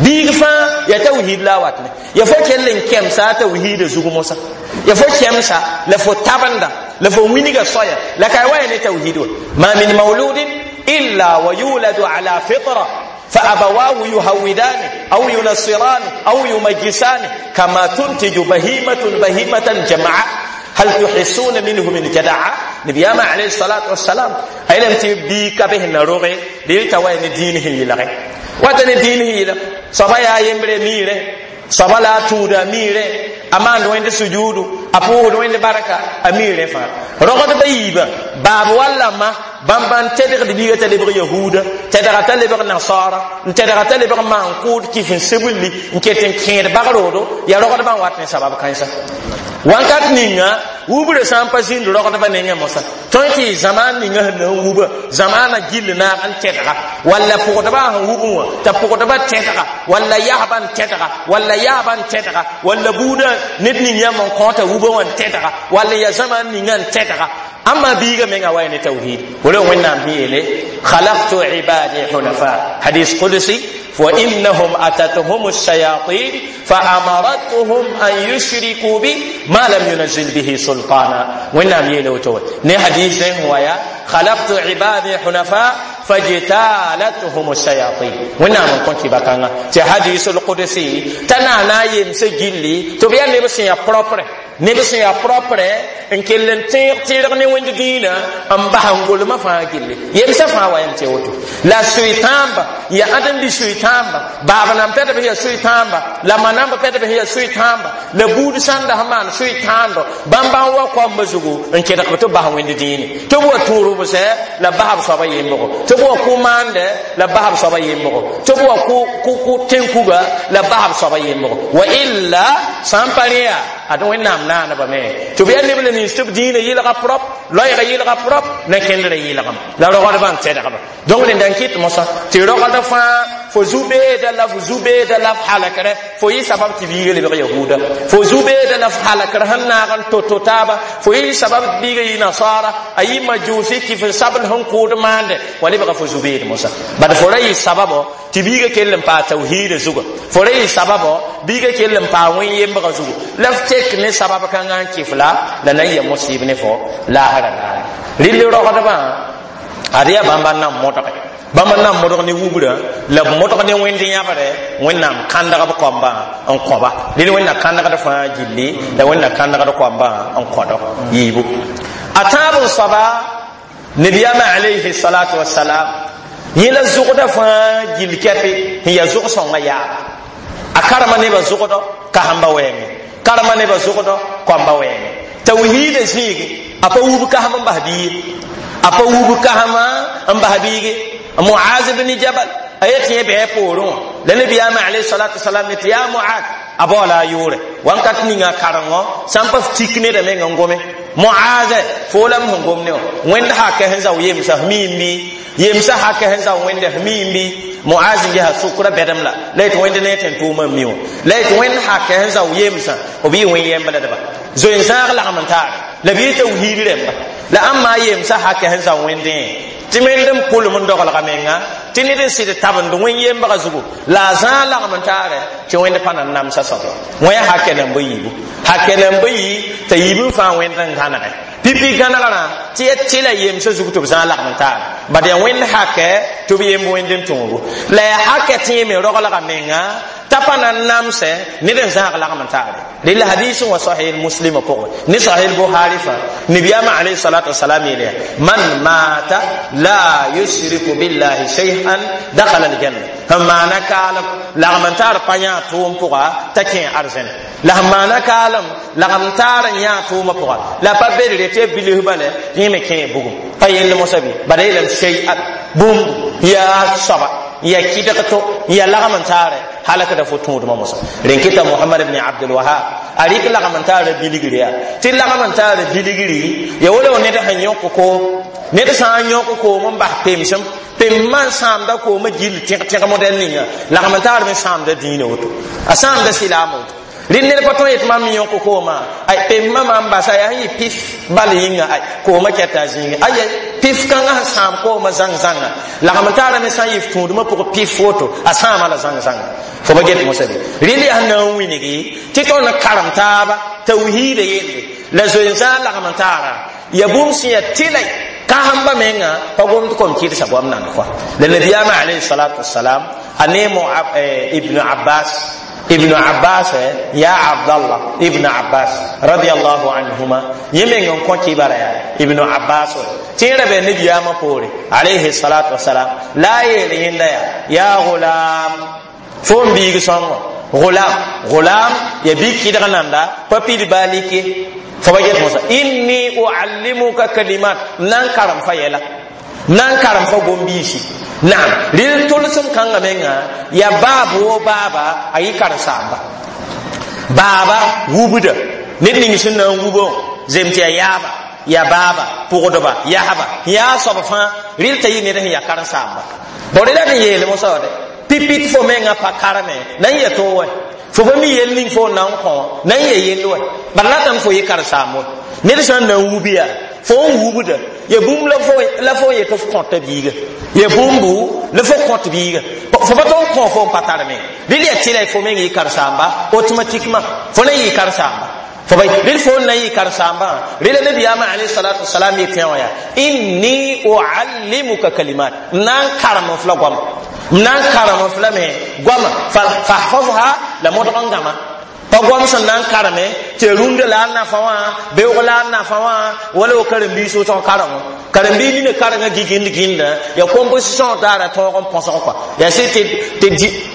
biig fãa ya tawhiid la a wat ne ya fo kell n kẽmsa tawhiida zug mosã ya fo kẽmsa la fo tabenda la fo wĩnga soaya la ka wa ya ne tawhiid wa ma min mauludin illa wa yuladu ala fitra فأبواه يهودانه أو ينصرانه أو يمجسانه كما تنتج بهيمة بهيمة جمعاء هل تحسون منه من جدعة نبي ما عليه الصلاة والسلام أي لم تبيك به نروغي لتوين دينه يلغي وتن دينه يلغي صبايا يمبري ميره soaba la a tũuda a miirẽ a maand wẽnd sujuudu a pʋʋsd wẽnd barka a miirẽ fãa rogdba yiibã baab walla ma bãmb n tedgd biiga t'a lebg yahuuda tedga t'a lebg nasaara n tedga t'a lebg maan-kʋʋd kif n sebelli n ket n kẽed bagroodo yaa rogdbã n wat ne sabab kãensa wãnkat ninga wubrã sã n pa zĩnd rogdbã nengẽ mosã tõe tɩ zamaan ninga sẽn na n wuba zamaanã gill naag n tedga walla pʋgdbã sẽn wubẽ wã t'a pʋgdbã tedga walla yasbã n tedga walla yaabã n tedga walla buudã ned ning yãmb n kõota wubã wã n tedga walla ya zamaan ninga n tedga amma biiga menga wa ne tauhid wala wẽnnaam sẽn yeele khalaqtu ibadi hunafa hadis qudsi وإنهم أتتهم الشياطين فأمرتهم أن يشركوا بي ما لم ينزل به سلطانا وإنهم يلوتون ني حديث هو يا Khalaqtu ibadi hunafa fajtalathum ash-shayatin. Wẽnnaam n kõ kɩba-kãngã tɩ hadisul qudsi t'a naana a yemsã gilli tɩ b yaa neb sẽn yaa propre, neb sẽn yaa propre n kell n tẽeg tɩrg ne wẽnd dĩinã n bas n golmã fãa gilli yemsã fãa wa yam tɩ woto la soy-tãamba ya ãdem-bi soy-tãamba baab nan pɛdb sẽn yaa soy-tãamba la ma namba pɛdb sẽn yaa soy-tãamba la buud sãnda sẽn maan soy-tãando bãmb n wa koambã zugu n kẽdg tɩ b bas wẽnd dĩine tɩ b wa tũurb sɛ la basb soaba yembgo tɩ b wa kʋ maandɛ la basb soaba yembgo tɩ b wa kʋ tẽn-kuga la basb soaba yembgo wa illa sã n pa rẽ yaa ad wẽnnaam naaneba me tɩ b yaa neb la nins tɩ b dĩinã yɩlga prop loɛɛga yɩlga prop na kẽndrã yɩlgem la rogdbã n tɛdgba. Donc rẽnda n kɩt mosã tɩ rogd fãa fo zu-beeda la fo zu-beeda la f halkre fo yɩ sabab tɩ biiga lebg yahuda, fo zu-beeda la f halkr sẽn naag n to-to taaba fo yɩ sabab tɩ biiga yɩ nasara a yɩ majusi tɩ f sabl sẽn kʋʋd maande wa lebga fo zu-beed mosã. Bad fo ra yɩ sababo tɩ biiga kell n paa tawhiida zuga, fo ra yɩ sababo biiga kell n paa wẽn-yembga zugu la f tek ne sabab kãngã n kɩf la la na n ya mosɩɩb ne fo laasra daare. Rɩl rogdbã ad yaa bãmba n na n modge, bãmb n na n modg ne wubrã la b modg ne wẽnd yãbre wẽnnaam kãndg b koambã n kõba rɩl wẽnna kãndgd fãa gilli la wẽnna kãndgd koambã n kõdg yiibu a tãab n soaba nabiyaamã alayhi salatu wasalam yẽ la zʋgda fãa gill kɛpe sẽn yaa zʋg-sõngã yaaba a karema nebã zʋgdɔ kasẽmba wɛɛngẽ, karema nebã zʋgdɔ koamba wɛɛngẽ tawhiida zĩigi a pa wub kasem n bas biige, a pa wub kasema n bas biige. Muaz ibn Jabal a yet yẽ bɩ poorẽ wã la nabiyaamã alayhi salatu wasalam ne tɩ yaa Muaz a baoola a yʋʋre wãnkat ninga karengo sã n pa f tik neda meng n gome Muaz fo la m sẽn gom ne wã wẽnd hakɛ sẽn zao yemsa f miim bɩ yemsa hakɛ sẽn zao wẽnda f miim bɩ Muaz n gesa sʋkrã bɛdem la la yet wẽnd ne tẽn tʋʋmã n mi wã la yet wẽnd hakɛ sẽn zao yemsã b yɩ wẽn yẽmbledba zoe-zãag lagm n taare la b yɩ tawhiid rẽmba la ãmba yemsa hakɛ sẽn zao wẽndẽ tɩ wẽnd n pʋlem n dogelga menga tɩ ned n sɩd tabend wẽn yembga zugu la a zãag lagm n taare tɩ wẽnd pa na n namsa soaba wẽ hakɛ nan ba yiibu hakɛ nan ba yi t'a yiib n fãa wẽnd n gãnege pipi gãnegrã tɩ ya tɩla yemsã zug tɩ b zãag lagm n taare bad yaa wẽnd hakɛ tɩ b yemb wẽnd n tõogo la yaa hakɛ tɩ yẽ me rogelga menga t'a pa na n namsẽ ned n zãag lagm n taare rel hadis wa sahih muslim pʋgẽ ne sahih bukhari fã nabiyaamã alayhi salatu wasalam yeelya man mata la yushriku billahi shay'an dakhala aljanna sẽn maana kaalem lagm n taar pa yã tʋʋm pʋga t'a kẽ arzẽn la sẽn maana kaalem lagm taar n yã tʋʋmã pʋga la pa bedre tɩ ya bilis bala yẽ me kẽ bugum pa yell mosã bɩ bala yeelame shay'an bũmb yaa soaba ya kɩdg to ya lagm n taare halakda fo tũudmã mosã rẽn kɩta Mohamad ibn Abdul Wahab a rɩk lagm n taara bilgri yaa tɩ lagm n taara bilgri ya wala ned sẽn yõk koom ned sã n yõk koom n bas pemsem pem-mã n sãamda koomã gill tẽg-tẽg modɛl ninga lagm n taar me sãamda dĩinã woto a sãamda silaam woto rɩ ned pa tõe yetɩ mam yõk koomã ay pem-mã mam basa yaa sẽn yɩ pif bal yĩnga ay koomã kɛta a zĩigẽ aya pif kãngã sẽn sãam koomã zãng-zãnga lagm n taara me sã n yɩ f tũudmã pʋgẽ pif woto a sãama la zãng-zãnga fo ba get mosã bɩ rɩl yaa sẽn na n wilgi tɩ tõnd karem taaba tawhiida yelle la zoe-zãag lagm n taara ya bũmb sẽn yaa tɩla kasẽmba menga pa gomd kom kɩdsa goam nand kɔa la nabiyaamã alayhi salatu wasalam a ne Ibnu Abbas, Ibnu Abbas ya Abdallah Ibnu Abbas radiyallahu anhuma yẽ meng n kõ kibara yaa Ibnu Abbas tɩ yẽ ra bɩ nabiyaamã poore alayhi salatu wasalam la a yeel yẽnda yaa ya gulam fo n biig sõngo gulam gulam ya bi kɩdg nanda pa pid baa like fo ba get mosã inni uallimuka kalimat n na n karem fa yɛla n na n karem fa gom-biisi naam rɩl tʋlsem kãngã menga ya baab wo baaba a yɩ karen-saamba baaba wubda ned ning sẽn na n wubã zem tɩ ya yaaba ya baaba pʋgdba yasba yaa soab fãa rɩl t'a yɩ ned sẽn ya karen-saamba bõe la d yeel mosã wã de pipit fo menga pa kareme na n ya to wɛ fo pa mi yell ning fo na n kõ na n ya yell wɛ bala ratame fo yɩ karen-saam wɛ ned sã n na n wub yaa fo n wubda ya bũmb la fo n yetɩ f kõta biiga ya bũmbu la fo kõt biiga fo pa tõn kõ fo n pa tar me rɩl yaa tɩla fo meng yɩ karen-saamba automatiquement fo na yɩ karen-saamba. Fo ba rel fo na yɩ karen-saambã rela nabiyaamã alayhi salatu wasalam yetẽ wã yaa inni uallimuka kalimat m na n karem f la goama m na n karem f lame goama fahfazha la modg n gãma pa goam sẽn na n kareme tɩ rũndã la a nafa wã beoog la a nafa wã wala wo karen-biis wʋsg karengo karen-biis nina karengã gɩgɩnd gĩndã ya composition daara tõog n põsg kɔa yaa sɩd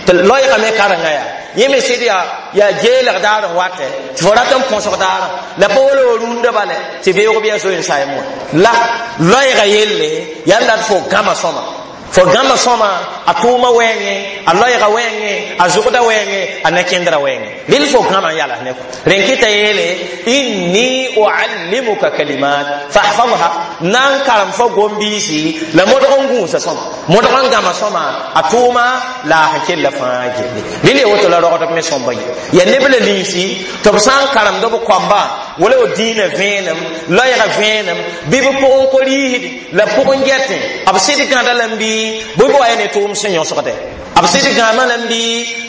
tɩ loeegame karengã yaa yẽ me sɩd yaa geelg daar n watɛ tɩ fo rat n põsg daarã la pa wala wo rũndã bale tɩ beoog bɩ yaa zoe n saem wã la loeega yelle yaa n dat fo gãma sõma fo gãma sõma a tʋʋma wɛɛngẽ a loɛɛga wɛɛngẽ a zʋgda wɛɛngẽ a ne-kẽndrã wɛɛngẽ rel fo gãma n yalas ne rẽn kɩta yeele inni uallimuka kalimat fahfadha na n karem fo gom-biisi la modg n gũusa sõma modg n gãma sõma a tʋʋma la a sẽn kella fãa gelle rel ya woto la rogdb me sõmba ye ya neb la ninsi tɩ b sã n karemd b koamba wala w dĩinã vẽenem loɛɛga vẽenem bɩ b pʋgẽ ko-riisd la pʋgẽ gɛtẽ b sɩd gãda lame bɩ bɩ b wa ya ne tʋʋm sẽn yõsgdɛ b sɩd gãama lame bɩ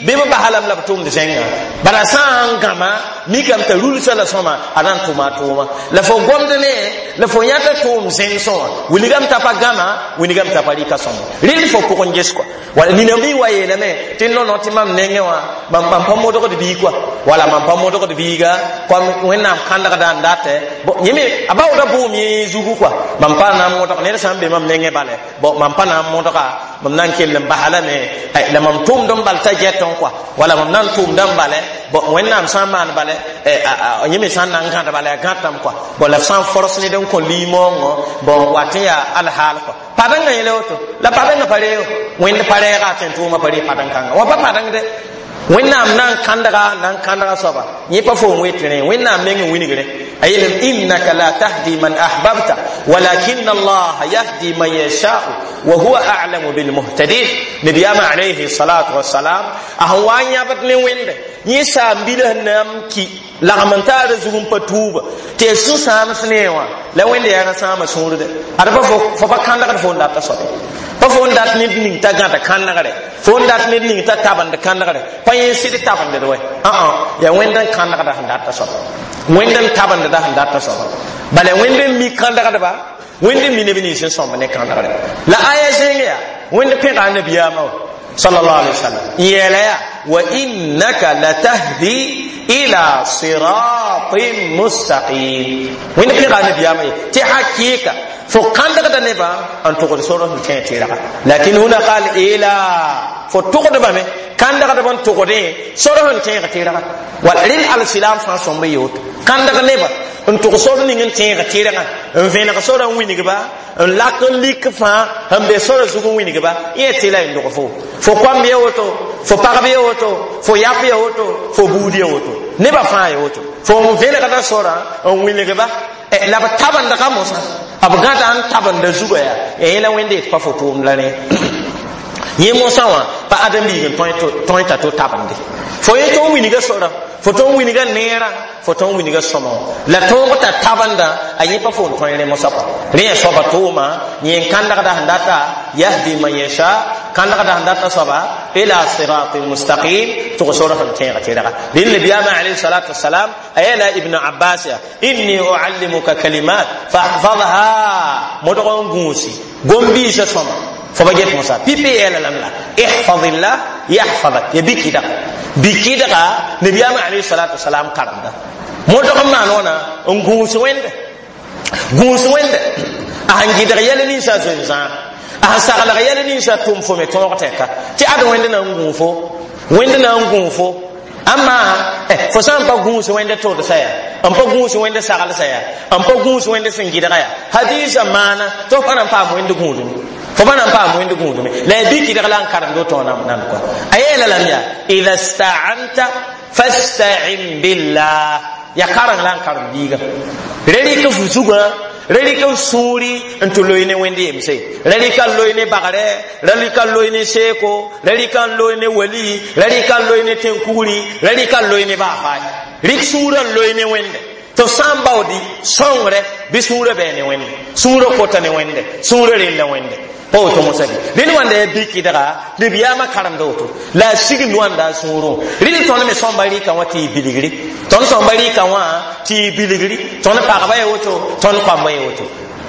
bɩ b basa lame la b tʋmd zẽnga bala sã n gãma mikame t'a rulsa la sõma a na n tʋma a tʋʋma la fo gomd ne la fo yãta tʋʋm zẽmsẽ wã wilgame t'a pa gãma wilgame t'a pa rɩka sõma rɩl fo pʋgẽ ges kɔa wala nina bɩ wa yeelame tɩ no-no tɩ mam nengẽ wã mam pa modgd bii kɔa wala mam pa modgd biiga kom wẽnnaam kãndgda n datɛ yẽ me a baooda bʋʋm yẽ zugu kɔa mam pa na n modg ned sã n be mam nengẽ bale bon mam pa na n modga mam na n kell n basa lame la mam tʋʋmd n bal t'a gɛtẽ kɔa wala mam na n tʋʋmda n bale bon wẽnnaam sã n maan bale yẽ me sã n na n gãd bala ya gãtame kɔa bon la f sã n fors ned n kõ liimoongõ bon wat n yaa alhaal kɔa padengã yẽle woto la padengã pa reego wẽnd pa rɛɛga a tẽn tʋʋmã pa ree padeng-kãngã wã pa padeng dɛ wẽnnaam na n kãndga na n kãndga soaba yẽ pa fo n wet rẽ wẽnnaam meng n wilgre a yeelame innaka la tahdi man ahbabta walakin allaha yahdi man yashau wa huwa a'lamu bilmuhtadin nabiyaama alayhi salatu wasalam a sẽn wa n yãbd ne wẽnde yẽ saam-bilã sẽn na n ki lagm n taara zug n pa tuuba tɩ ya sũ-sãams nee wã la wẽnde yaa ra sãama sũurde ad pa fo pa kãndgd fo n data soabe pa fo n dat ned ning t'a gãda kãndgre fo n dat ned ning t'a tabend kãndgre pa yẽ sɩd tabendd wɛ ã yaa wẽnd n kãndgda sẽn data soaba wẽnd n tabendda sẽn data soaba bala wẽnd n mi kãndgdba wẽnd n mi neb nins n sõmb ne kãndgre la aya zẽng yaa wẽnd pẽga a nabiyaamã wa sallallahu alaihi wasallam yeela yaa wa innaka latahdi ila siratin mustaqim wẽnd pẽga a nabiyaamã ye tɩ hakɩɩka fo kãndgda nebã n tʋgd sor sẽn kẽ tɩrga lakin huna qal ila fo tʋgdbame kãndgdb n tʋgdẽ sor sẽn tẽeg tɩrga wala rel alsilam fãa sõmb ye woto kãndg nebã n tʋg sor ning n tẽeg tɩrgã n vẽneg sora n wilgba n lak n lik fãa sẽn be sora zug n wilgba yẽ tɩ la y log fo fo koamb ya woto fo pagb ya woto fo yap ya woto fo buud ya woto nebã fãa ya woto fo n vẽnegda sora n wilgba la b tabendga mosã b gãda n tabenda zuga yaa ya yẽla wẽnde yet pa fo tʋʋmd la rẽ yẽ mosã wã pa ãdem-biig n tõe t'a to tabende fo yẽ tõe n wilga sora fo tõe n wilga neerã fo tõe n wilga sõma la tõog t'a tabendã a yẽ pa fo n tõe rẽ mosã kɔa rẽ yaa soaba tʋʋma yẽ n kãndgda sẽn data yahdi man yasha kãndgda sẽn data soaba ila siratin mustaqim tʋg sor sẽn tẽeg tɩrga rẽnd nabiyaamã alayhi salatu wasalam a yeela ibn abbas ya inni uallimuka kalimat fahfadha modg n gũusi gom-biisã sõma fo ba get mosa pipi yeela lame la ihfadillah yahfadak ya bikidga bikidga nabiyaamã alayhi salatu wasalam karemda modg n maan wãna n gũus wẽnde gũus wẽnde a sẽn gɩdg yɛl ninsã zoe-zãag a sẽn saglg yɛl ninsã tʋm fo me tõog tɛka tɩ ad wẽnd na n gũu fo wẽnd na n gũu fo amma fo sã n pa gũus wẽnd tʋdsa yaa n pa gũus wẽnd saglsa yaa n pa gũus wẽnd sẽn gɩdga yaa hadiisã maana tɩ fo pa na n paam wẽnd gũudme fo pa na n paam wẽnd gũudme la ya bikidg la n karemd woto nam nan kɔa a yeela lame yaa ida staanta fasta'in billah ya kareng la n karem biiga ra rɩk f zugã ra rɩk f sũuri n tɩ loe ne wẽnd yemse ra rɩka n loe ne bagre ra rɩka n loe ne seeko ra rɩka n loe ne wali ra rɩka n loe ne tẽn-kugri ra rɩka n loe ne baafaay rɩk sũurã n loe ne wẽnde tɩ f sã n baoodi sõngre bɩ sũurã bɛɛ ne wẽnde sũurã kota ne wẽnde sũurã rella wẽnde Pa woto mosã bɩ rẽnd wãnda yaa bɩkɩdga nabiyaamã karemda woto la a signd wãnda a sũurẽ. Rɩl tõnd me sõmba rɩka wã tɩ y bilgri, tõnd sõmba rɩka wã tɩ y bilgri, tõnd pagba ya woto, tõnd koamba ya woto,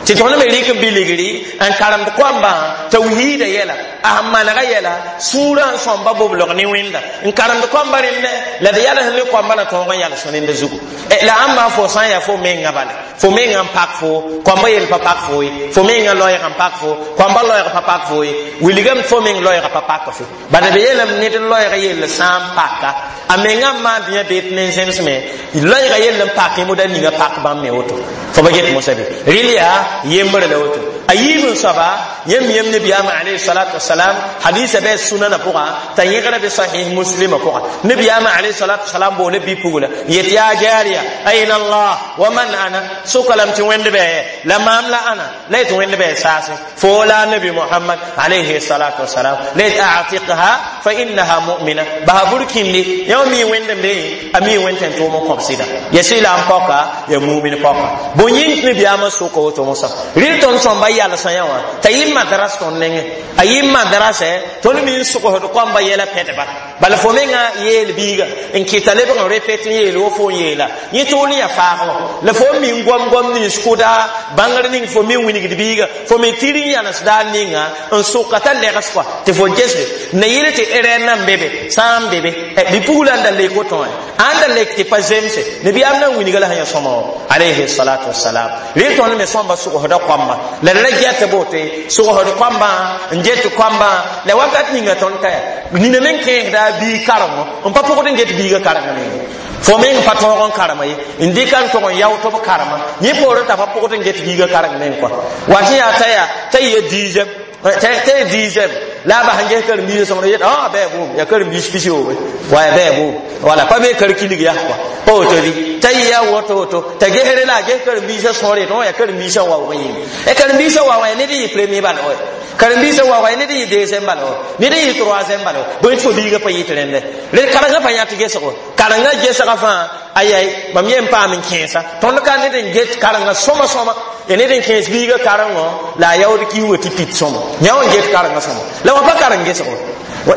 tɩ tõnd me rɩk bilgri n karemd koambã tawhiida yɛla, a sẽn manega yɛla, sũurã n sõmba boblg ne wẽnda n karemd koambã rẽndɛ la d yals ne koambã na tõog n yals rẽnda zugu. La ãmba fo sã n yaa fo menga bala, fo menga n pak fo koambã yel pa pak fo ye, fo menga loɛɛg n pak fo koambã loɛɛg pa pak fo ye, wilgame fo meng loɛɛga pa pak fe. Bala b yeelame ned loɛɛg yell sã n paka a menga n maan tɩ yã beet ne zẽmsme loɛɛga yell n pak moda ninga pak bãmb me woto. Fo ba get mosã bɩ rɩl yaa yembre la woto. A yiib n soaba yãmb yem nabiyaamã alayhi salatu wasalam hadisa bɩ sunana pʋga t'a yẽgra bɩ sahih muslima pʋga. Nabiyaamã alayhi salatu wasalam boole bi-pugla yet yaa jaariya aina Allah wa man ana, soka lame tɩ wẽnd bɩ la maam la ana la yetɩ wẽnd bɩ saase fo la nabi Muhammad alayhi salatu wasalam la yet a'tiqha fa innaha mu'mina basa burkindi yã mi wẽnd n be a mi wẽnd tẽn tʋʋm n kõb sɩda ya sɩla n pɔka ya mumin pɔka. Bõe yĩng tɩ nabiyaamã soka woto mosã? Rɩl tõnd sõmba yalsã yã wã t'a yɩ madras tõnd nengẽ, a yɩ madrasɛ tõnd mi n sogsd koamba yɛla pɛdba. Bala fo menga yeel biiga n kɩta lebg n repet n yeel wo fo n yeela yẽ tʋʋl n yaa faagẽ wã la fo mi n goam goam nins kʋda bãngr ning fo mi n wilgd biiga fo me tɩr n yãnesda ninga n soka t'a legs kɔa tɩ fo gesde na yɩl tɩ erɛr nan be be sã n be be bi-pugla n da lek woto wã ãn da lek tɩ pa zemse nabiyaam na n wilga la sẽn yã sõma wã alayhi salatu wasalam. Rɩl tõnd me sõmba sogsda koamba la d ra gɛt bote sogsd koambã n get koambã la wakat ninga tõnd ka ya nina me n kẽesda biig karengo n pa pʋgd n get biigã kareng meng fo meng pa tõog n karema ye n dɩka n tog n yao tɩ b karema yẽ poorẽ t'a pa pʋgd n get biigã kareng meng kɔa wat yaa t'a yaa t'a yɩ dixième t'a yɩ dixième la a bas n ges karen-biisã sõngd yet a bɩ boom yaa karen-biis pisoobe wa yaa bɩ boom wala pa be kar-kilg yaa kɔa pa woto bɩ t'a yɩ yaa woto woto t'a gesre la a ges karen-biisã sõor yet yaa karen-biisã waoog yĩnga karen-biisã waoog yaa ned n yɩ premier bala wa karen-biisã waoog yaa ned n yɩ deuxième bala wa ned n yɩ troisième bala wa bõe tɩ fo biigã pa yɩt rẽndɛ rẽ karengã pa yã tɩ gesgo karengã gesga fãa ayai mam yen paam n kẽesa tõnd ka ned n get karengã sõma sõma ya ned n kẽes biigã karengõ la a yaood kiuugã tɩ pit sõma yã wã n get karengã sõma la wã pa kareng gesgo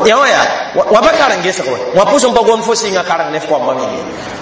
yã wã yaa wã pa kareng gesgo wã pʋs n pa gom fo sɩnga kareng ne f koambã me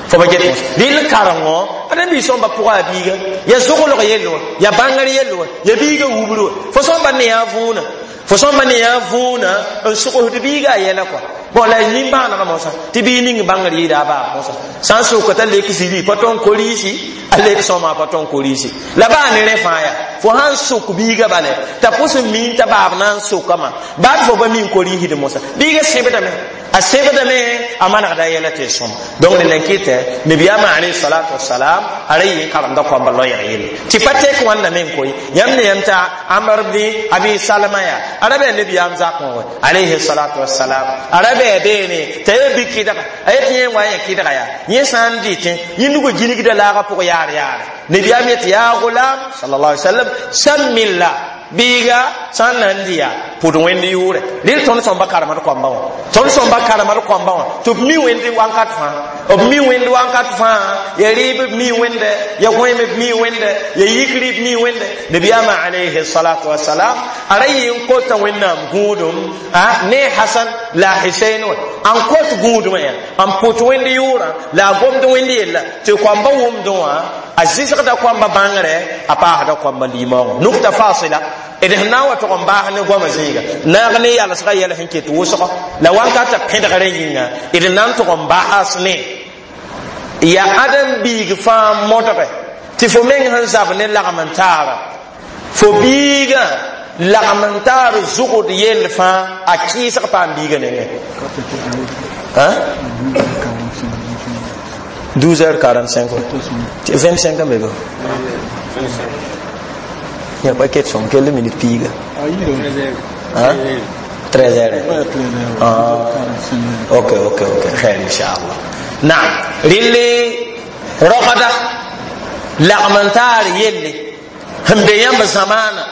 fo ba get mos rɩl karengo ãdem-biis sõmba pʋga a biiga ya zoglg yell wã ya bãngr yell wã ya biiga wubr wã fo sõmba ne yaa võona fo sõmba ne yaa võona n sogsd biiga a yɛla kɔa. Bon la nin-bãanegã mosã tɩ bii ning bãngr yɩɩda a baab mosã sã n soka t'a lek ziri pa tõn koriisi a lek sõma pa tõn koriisi la baa ne rẽ fãa yaa fo sãn sok biiga bale t'a pʋs n miin t'a baab na n sokame baad fo pa min koriisd mosã biiga sẽbdame a sẽbdame a manegda yɛla tɩ sõm. Donc rẽnd n kɩtɛ nabiyaamã alayhi salatu wasalam a ra yɩ n karemda koamba loɛɛg yelle tɩ pa tek wãnda me n koe yãmb ne yãmb t'a Amr bni Abi Salama yaa a ra bɩ nabiyaam zakẽ wã alayhi salatu wasalam a ra bɩ beene t'a ya bi kɩdga a yet yẽ wa yẽ kɩdga yaa yẽ sã n dɩtẽ yẽ nugã gilgda laagã pʋg yaar yaare nabiyaam yet yaa gulam sallallahu alaihi wasallam sammillah biiga sã n na n dɩ yaa pʋd wẽnd yʋʋrɛ rɩl tõnd sõmba karemd koamba wã tõnd sõmba karemd koamba wã tɩ b mi wẽnd wãnkat fãa b mi wẽnd wãnkat fãa ya rɩɩb b mi wẽnde ya gõeem b mi wẽnde ya yikri b mi wẽnde nabiyaamã alayhi salatu wasalam a ra yɩ n kota wẽnnaam gũudum ne Hasan la Husein wã n kot gũudumã yaa n pʋt wẽnd yʋʋrã la a gomd wẽnd yella tɩ koamba wʋmdẽ wã a zɩsgda koamba bãngrɛ a paasda koamba limaoongã nukta fasila d sẽn na n wa tʋg n baas ne goamã zĩiga naag ne yalsga yɛl sẽn ket wʋsgo la wãnkata pẽdgrã yĩnga d na n tʋg n baas ne yaa ãdem-biig fãa modge tɩ fo meng sẽn zab ne lagm n taara fo biigã lagm n taar zʋgd yell fãa a kɩɩsg paam biigã nengẽ 12h45 25 n be be ya pa ket sõm kell minute piiga 13 heures. Ah, ok, khair inshallah. Naam, rɩle rogda lagm n taar yelle sẽn be yãmb zamaana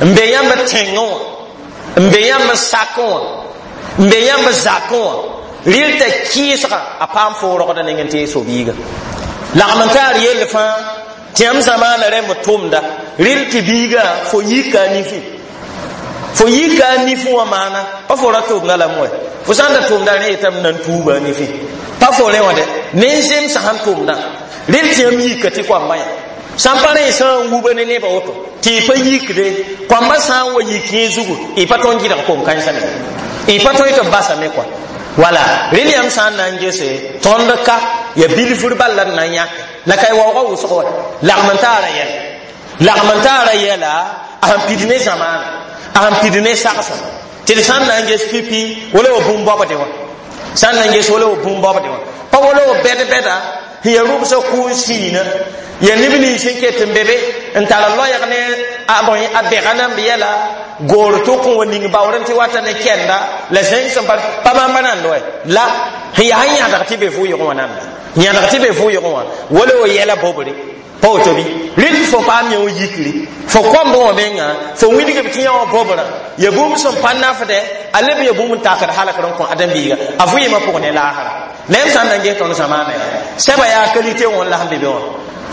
n be yãmb tẽngẽ wã n be yãmb sakẽ wã n be yãmb zakẽ wã rɩl t'a kɩɩsga a paam fo rogda neng n tee so-biiga lagm n taar yell fãa tɩ yãmb zamaana rẽmb tʋmda rɩl tɩ biiga fo yika a nifi Fo yika a nifẽ wã maana pa fo ra tʋʋmda lame wɛ fo sã n da tʋʋmda rẽ yetame nan tuuba a nifẽ pa fo rẽ wã dɛ ne zemsã sãn tʋʋmdã rel tɩ yãmb yika tɩ koamba yã sã n pa rẽ sã n wuba ne nebã woto tɩ y pa yikde koamba sã n wa yik yẽ zugu y pa tõnd gɩdg kom-kãensã me y pa tõe tɩ b basame kɔa wala rel yãmb sã n na n gese tõnd ka ya bilfr bal la d na n yãke la ka y waoogã wʋsg wa lagm n taara yɛla lagm n taara yɛla a sẽn pid ne zamaana a sẽn pid ne sagsã tɩ d sã n na n ges pipi wala wa bũmb baobdẽ wã sã n na n ges wala wa bũmb baobdẽ wã pa wala wa bɛd-bɛda sẽn ya rʋbsã kʋʋn siina ya neb nins sẽn ket n be be n tar loɛɛg ne a bɛga namb yɛla goor tʋk n wa ning baood n tɩ wata ne kɛnda la zẽng sẽn pa pa bãmba nand wɛ la sẽn yaa sẽn yãdg tɩ be vʋʋyg wã nanda yãdg tɩ be vʋʋyg wã wala wa yɛla bobre pa woto bɩ rɩl fo paam yã wa yikri fo kõmb wã menga fo wilgb tɩ yã wã bobrã ya bũmb sẽn pa nafdɛ a leb ya bũmb n takd halkr n kõ adem-biiga a vɩɩmã pʋg ne laasra la yãmb sã n na n ges tõnd zamaana ya sɛba yaa qualité wã n la sẽn be be wã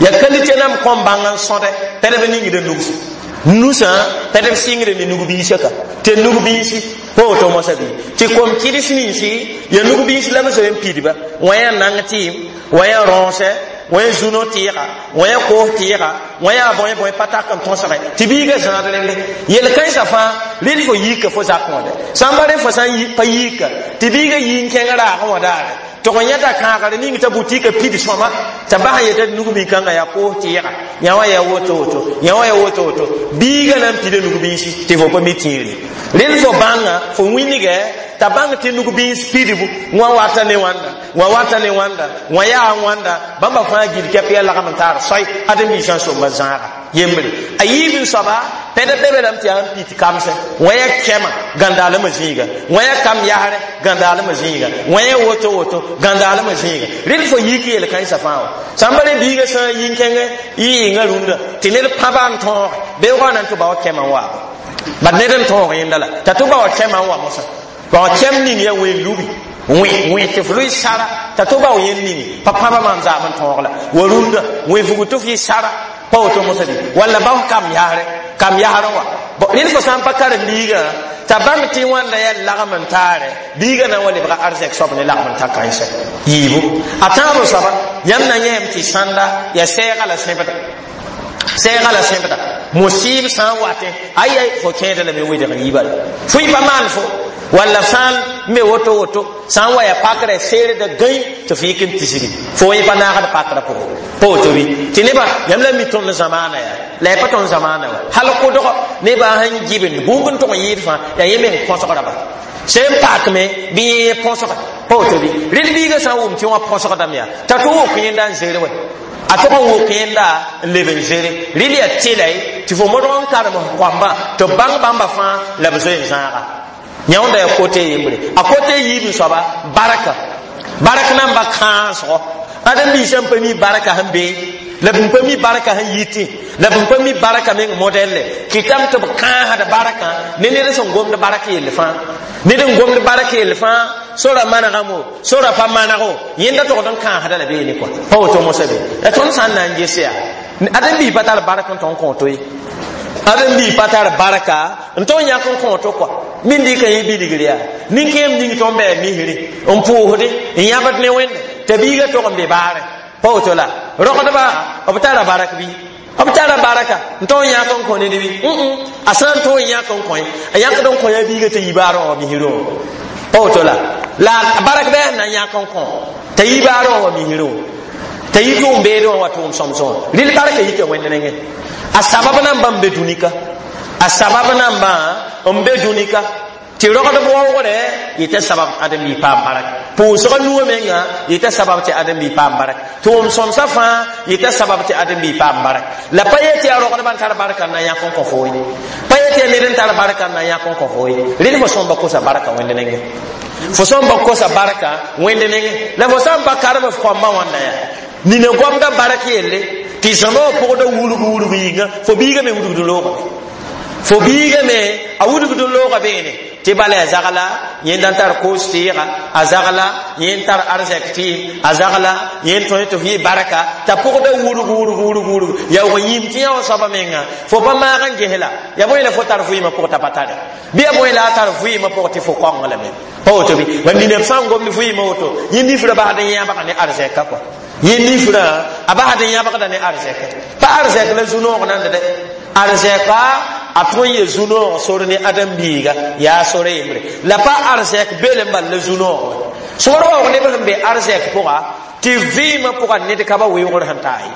ya qualité nam kõm bãng n sõdɛ tɩ d ningda nugs nusã tɩ d sɩngd ne nug-biisã ka tɩ nug-biisi pa woto mosã bɩ tɩ kom-kɩds ninsi ya nug-biis la b zoe n pidba wã yaa nang tɩɩm wã yaa rõosɛ wã yaa zũno tɩɩga wã yaa koos tɩɩga wã yaa bõe bõe pa tak n tõsge tɩ biigã zãad rende yel-kãensã fãa rel fo yiika fo zak wã dɛ sã n pa rẽ fo sã n pa yiika tɩ biigã yi n kẽng raagẽ wã daare tɩg n yẽta kãagr ning t'a butika pid sõma t'a bas n yeta nug-bi-kãngã yaa koos tɩɩga yã wã yaa woto woto yã wã yaa woto woto biigã na n pida nug-biisi tɩ fo pa mi tĩiri rel fo bãnga fo wĩnigɛ t'a bãng tɩ nug-biis pidbu wã wata ne wãnda wã wata ne wãnda wã yaa wãnda bãmba fãa gil kɛp yaa lagm n taar soy adem-biisã somba zãaga yembre a yiib n soaba pɛd be be lame tɩ yaa n pit kamsẽ wã yaa kɛma gãndaalmã zĩiga wã yaa kam yasrɛ gãndaalmã zĩiga wã yaa woto woto gãndaalmã zĩiga rel fo yik yel-kãensã fãa wa sã n pa re biigã sã n yi n kẽngɛ yɩɩngã rũndã tɩ ned pãba n tõoge beoogã na n tɩ ba wa kɛmã n waaba bad ned n tõog yẽnda la t'a tɩ ba wa kɛmã n wa mosã ba wa kɛm ning yaa ween lubi wẽ tɩ f lʋɩ sara t'a tɩ ba wa yẽnd ningi pa pãba maam zaam n tõog la wa rũndã wẽ fugu tɩ f yɩ sara pa woto mosã bɩ walla ba kam yasrɛ kam yasrẽ wa rẽnd fo sã n pa karen-biigã t'a bãmb tɩ wãnda yaa lagm n taare biigã na n wa lebga arzɛk soab ne lagm n ta kãensɛ yiibu a tãab soaba yãmb na yẽem tɩ sãnda yaa sɛɛga la sẽbda sɛɛga la sẽbda musib sã n watẽ aya fo kẽeda lame wedg yiiba la fo y pa maan fo walla sã n be woto woto sã n wa ya pakrã seerda gãe tɩ f yik n tisgi fo yẽ pa naagd pakrã pʋgẽ pa woto bɩ tɩ nebã yãmb la mi tõnd zamaana yaa la ya pa tõnd zamaana wa hal kʋdg nebã sẽn gibend bũmb n tʋg n yɩɩd fãa yaa yẽ meng põsgrã ba sẽn pakme bɩ yẽ põsga pa woto bɩ rel biigã sã n wʋm tɩ wã põsgdame yaa t'a tɩ wok yẽnda n zere wɛ a tʋg n wok yẽnda n leb n zere rel yaa tɩlay tɩ fo modg n karem f koambã tɩ b bãng bãmba fãa la b zoe n zãaga yãonda yaa kote yembre a kote yiib n soaba barka bark namba kãasgo ãdem-biisã n pa mi barka sẽn be la b pa mi barka sẽn yitẽ la b pa mi barka meng modɛlle kɩtame tɩ b kãasd barkã ne ned sẽn gomd bark yell fãa ned n gomd bark yell fãa sora manegamo sora pa manego yẽnda togd n kãasda la beene kɔa pa woto mosã be la tõnd sã n na n ges yaa ãdem-biis pa tar bark n tõnd kõo to ye ãdem-biis pa tar barka n tõnd yãk n kõo to kɔa min dɩka yẽ bilgr yaa nin-kẽem ning tõnd bɩ misri n pʋʋsdẽ n yãbd ne wẽnde t'a biigã tog n be baarẽ pa woto la rogdba b tara barak bɩ b tara baraka n tõog yãk n kõ ned bɩ a sã n tõog yãk n kõ a yãkd n kõ ya biigã t'a yi baarẽ wã misrẽ wã pa woto la la barak bɩ sẽn na yãk n kõ t'a yi baarẽ wã wa misrẽ wã t'a yi tʋʋm beedẽ wã wa tʋʋm sõmsẽ wã rɩl barka yika wẽnd nengẽ a sabab nambã n be dũnika a sabab nambã n be dũnika tɩ rogdb waoogrɛ yeta sabab ãdem-bi paam barak pʋʋsgã nuwã menga yeta sabab tɩ ãdem-bi paam barak tʋʋm sõmsã fãa yeta sabab tɩ ãdem-bi paam barak la pa yetɩ yaa rogdbã n tar barka n na yãk n kõ fo ye pa yetɩ yaa ned n tar barka n na yãk n kõ fo ye rẽd fo sõmba kosa barka wẽnd nengẽ fo sõmba kosa barka wẽnd nengẽ la fo sã n pa karem f kõmbã wãnda yaa nina goamda bark yelle tɩ zãma wã pʋgda wurg wurg yĩnga fo biigã me wudgd loogame fo biigã me a wudgd looga beene Tɩ bala ya zagla yẽnd n tar koos tɩɩga, a zagla yẽnd tar arzɛk tɩɩm, a zagla yẽnd tõe tɩ f yɩ barka t'a pʋgda wurg wurg wurg wurg yaoog yĩm tɩ yã wã soaba menga fo pa maag n ges la ya bõe la fo tar vɩɩmã pʋg t'a pa tare bɩ ya bõe la a tar vɩɩmã pʋg tɩ fo kõng lame pa woto bɩ ba nina b sã n gomd vɩɩmã woto yẽ nifrã basd n yãbga ne arzɛka kɔa yẽ nifrã a basd n yãbgda ne arzɛka pa arzɛk la zu-noog nand dɛ arzɛka a tõe n ye zu-noog sor ne ãdem-biiga yaa sore yembre la pa arzɛk beel n bal la zu-noog sõor waoog neb sẽn be arzɛk pʋga tɩ vɩɩmã pʋga ned ka ba weoogr sẽn taa ye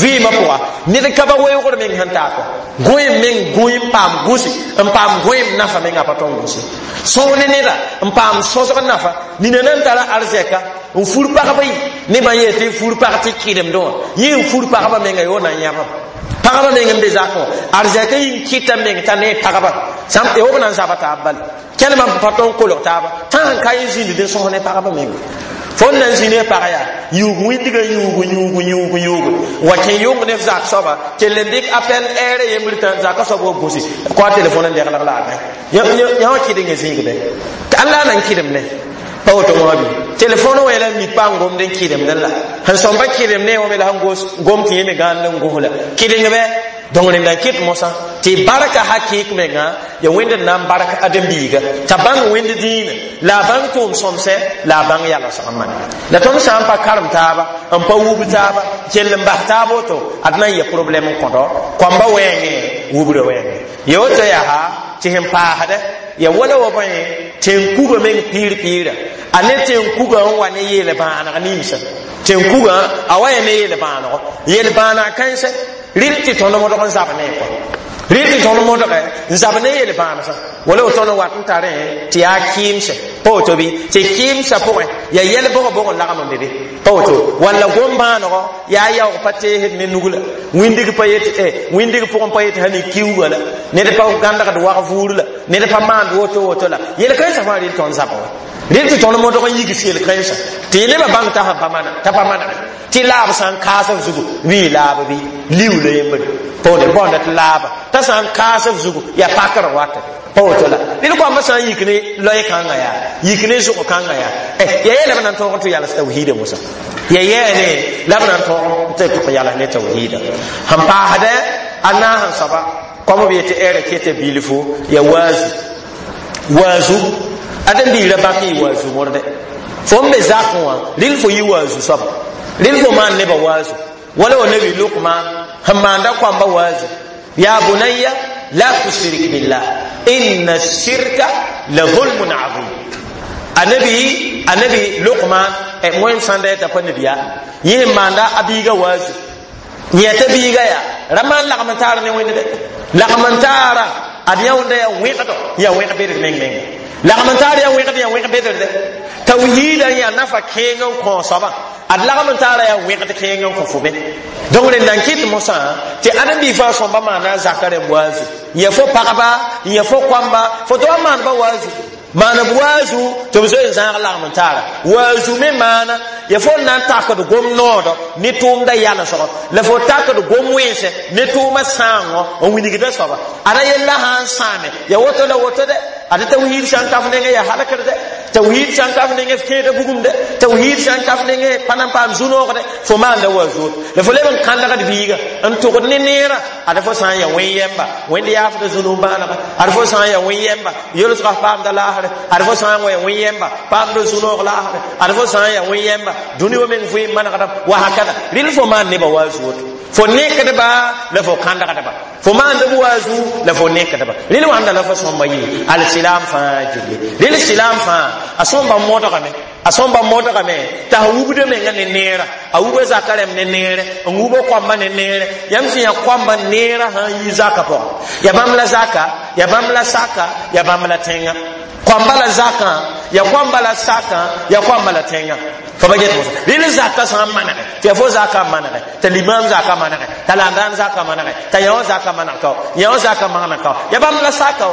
vɩɩmã pʋga ned ka ba weoogr meng sẽn taa kɔ gõem meng gõe n paam gũsi n paam gõem nafa menga pa tõn gũsi sõor ne neda n paam sõsg nafa nina nan tara arzɛka n fur pagba yi nebã yee tɩ fur pag tɩ kɩdemdẽ wã yẽ n fur pagba menga yo na n yãbam pagba meng n be zakẽ wã arzɛka yĩng kɩta meng t'a ne pagba sãm b na n zaba taab bala kẽlmã pa tõn kolg taaba tã sẽn ka yẽ zĩnd n sõs ne pagba menga fo n na n zĩ ne pag yaa yuug wĩndgã yuugu yuugu yuugu yuugu wa kẽ yong ne f zak soaba kell n dɩk appel ɛɛrã yembr tã zaka soab wa gũsi kõ a telefon n degleg la a yã wã kɩdengã zĩigbe tɩ alla na n kɩdem ne pa woto wã bɩ telefon wã la mik pa n gomd n kɩdemdẽ la sẽn sõmba kɩdem ne wã me la sẽn gom tɩ yẽ me gãand n gos la kɩdeng bɛ donc rẽnda n kɩt mosã tɩ barka hakɩɩk menga ya wẽnd n na n bark ãdem-biiga t'a bãng wẽnd dĩinã la a bãng tʋʋm sõmsɛ la a bãng yalsg n manega la tõnd sã n pa karem taaba n pa wub taaba kell n bas taab woto ad na n yɛ problɛm n kõdɔ koamba wɛɛngẽ wubrã wɛɛngẽ ya woto yaa tɩ sẽn paasdɛ ya wala wa bõe tẽn-kuga meng piir piirã a ne tẽn-kugã n wa ne yeel-bãaneg ninsã tẽn-kugã a wa ya ne yeel-bãanego yeel-bãaneg kãensɛ rɩl tɩ tõnd modg n zab ne kɔ rɩl tɩ tõnd modge n zab ne yel-bãansã wala woto n wat n tarẽ tɩ yaa kɩɩmsɛ pa woto bɩ tɩ kɩɩmsã pʋgẽ ya yɛl bʋg bʋg n lagm n be be pa woto walla gom-bãanego yaa yaoog pa teesd ne nug la wĩndig pa yet wĩndig pʋgẽ pa yet sã ne kiuugã la ned pa gãndgd wag vuur la ned pa maand woto woto la yel-kãensã fãa rɩl tõnd zaba wa rɩl tɩ tõnd modg n yigs yel-kãensã tɩ nebã bãng t'a sẽn pa pa maneg tɩ laab sã n kaas f zugu bɩ laab bɩ liuula yembre pa woto bõonda tɩ laaba t'a sã n kaas f zugu yaa pakr wata pa woto la ned koambã sã n yik ne loe kãngã yaa yik ne zʋg kãngã yaa ya yɛ la b na n tõog n tɩ yals tawhiida mosã ya yɛɛne la b na n tõog n tɩ yals ne tawhiida sẽn paasdɛ a naas n soaba kom b yetɩ ɛɛra keta bilfu ya waazu waazu ãdem-biirã bãk yɩ waazu morde fo n be zakẽ wã rɩl fo yɩ waazu soaba rɩl fo maan nebã waazu wala wa nabi luqman sẽn maanda koamba waazu ya bunayya la tushrik billah inna shirka la zulmun azim anabi anabi luqman wẽnd sãnda yeta pa nabiya yẽ n maanda a biiga waazu yẽta biiga yaa ra maan lagm n taar ne wẽnd dɛ lagm n taara ad yãunda yaa wẽgdo yaa wẽg bedr meng menga lagm n taar yaa wẽgd yaa wẽg bedr dɛ tawhiidã yaa nafa kẽeng n kõ soabã ad lagm n taara yaa wẽgd kẽeng n kõ fo be donc rẽnda n kɩt mosã tɩ ãdem-bi fãa sõmba maana a zaka rẽmb waazu yã fo pagba yã fo koamba fo tɩ wa maanba waazu maan b waazu tɩ b zoe n zãag lagm n taara waazu me maana ya fo n na n takd gom noodɔ ne tʋʋmda yalsgɔ la fo takd gom wẽnsɛ ne tʋʋma sãangɔ n wilgda soaba ada yella sã n sãame ya woto la woto dɛ ada tawhiid sã n ka f nengẽ ya halkr dɛ tawhiid sã n ka f nengẽ f kẽeda bugum dɛ tawhiid sã n ka f nengẽ pa na n paam zu-noog dɛ fo maanda waazu la fo leb n kãndgd biiga n tʋgd ne neerã ada fo sã n ya wẽn yɛmba wẽnd yaafda zũnug bãanega ada fo sã n ya wẽn yɛmba yolsga paamda laasre ada fo sã n wa ya wẽn yɛmba paamda zu-noog laasre ada fo sã n ya wẽn yɛmba dũni wa meng vɩɩm manegdam wa hakada rɩl fo maan nebã waazu woto fo nekdba la fo kãndgdba fo maand b waazu la fo nekdba rɩl wãnda la fo sõmba yɩ alsilam fãa gilli rɩl silam fãa a sõmba modgame a sõmba modgame t'a sẽn wubda menga ne neera a wuba zaka rẽmb ne neere n wuba koamba ne neere yãmb sẽn yaa koamba neera sã n yi zaka pʋgã ya bãmb la zaka ya bãmb la saka ya bãmb la tẽngã koamba la zakã ya koamba la sakã ya koamba la tẽngã fo ba get mosã rɩl zaka sã n manege tɩ ya fo zaka n manege t'a limam zaka manege t'a landaan zaka manege t'a yã wã zaka maneg kao yã wã zaka maneg kao ya bãmb la saka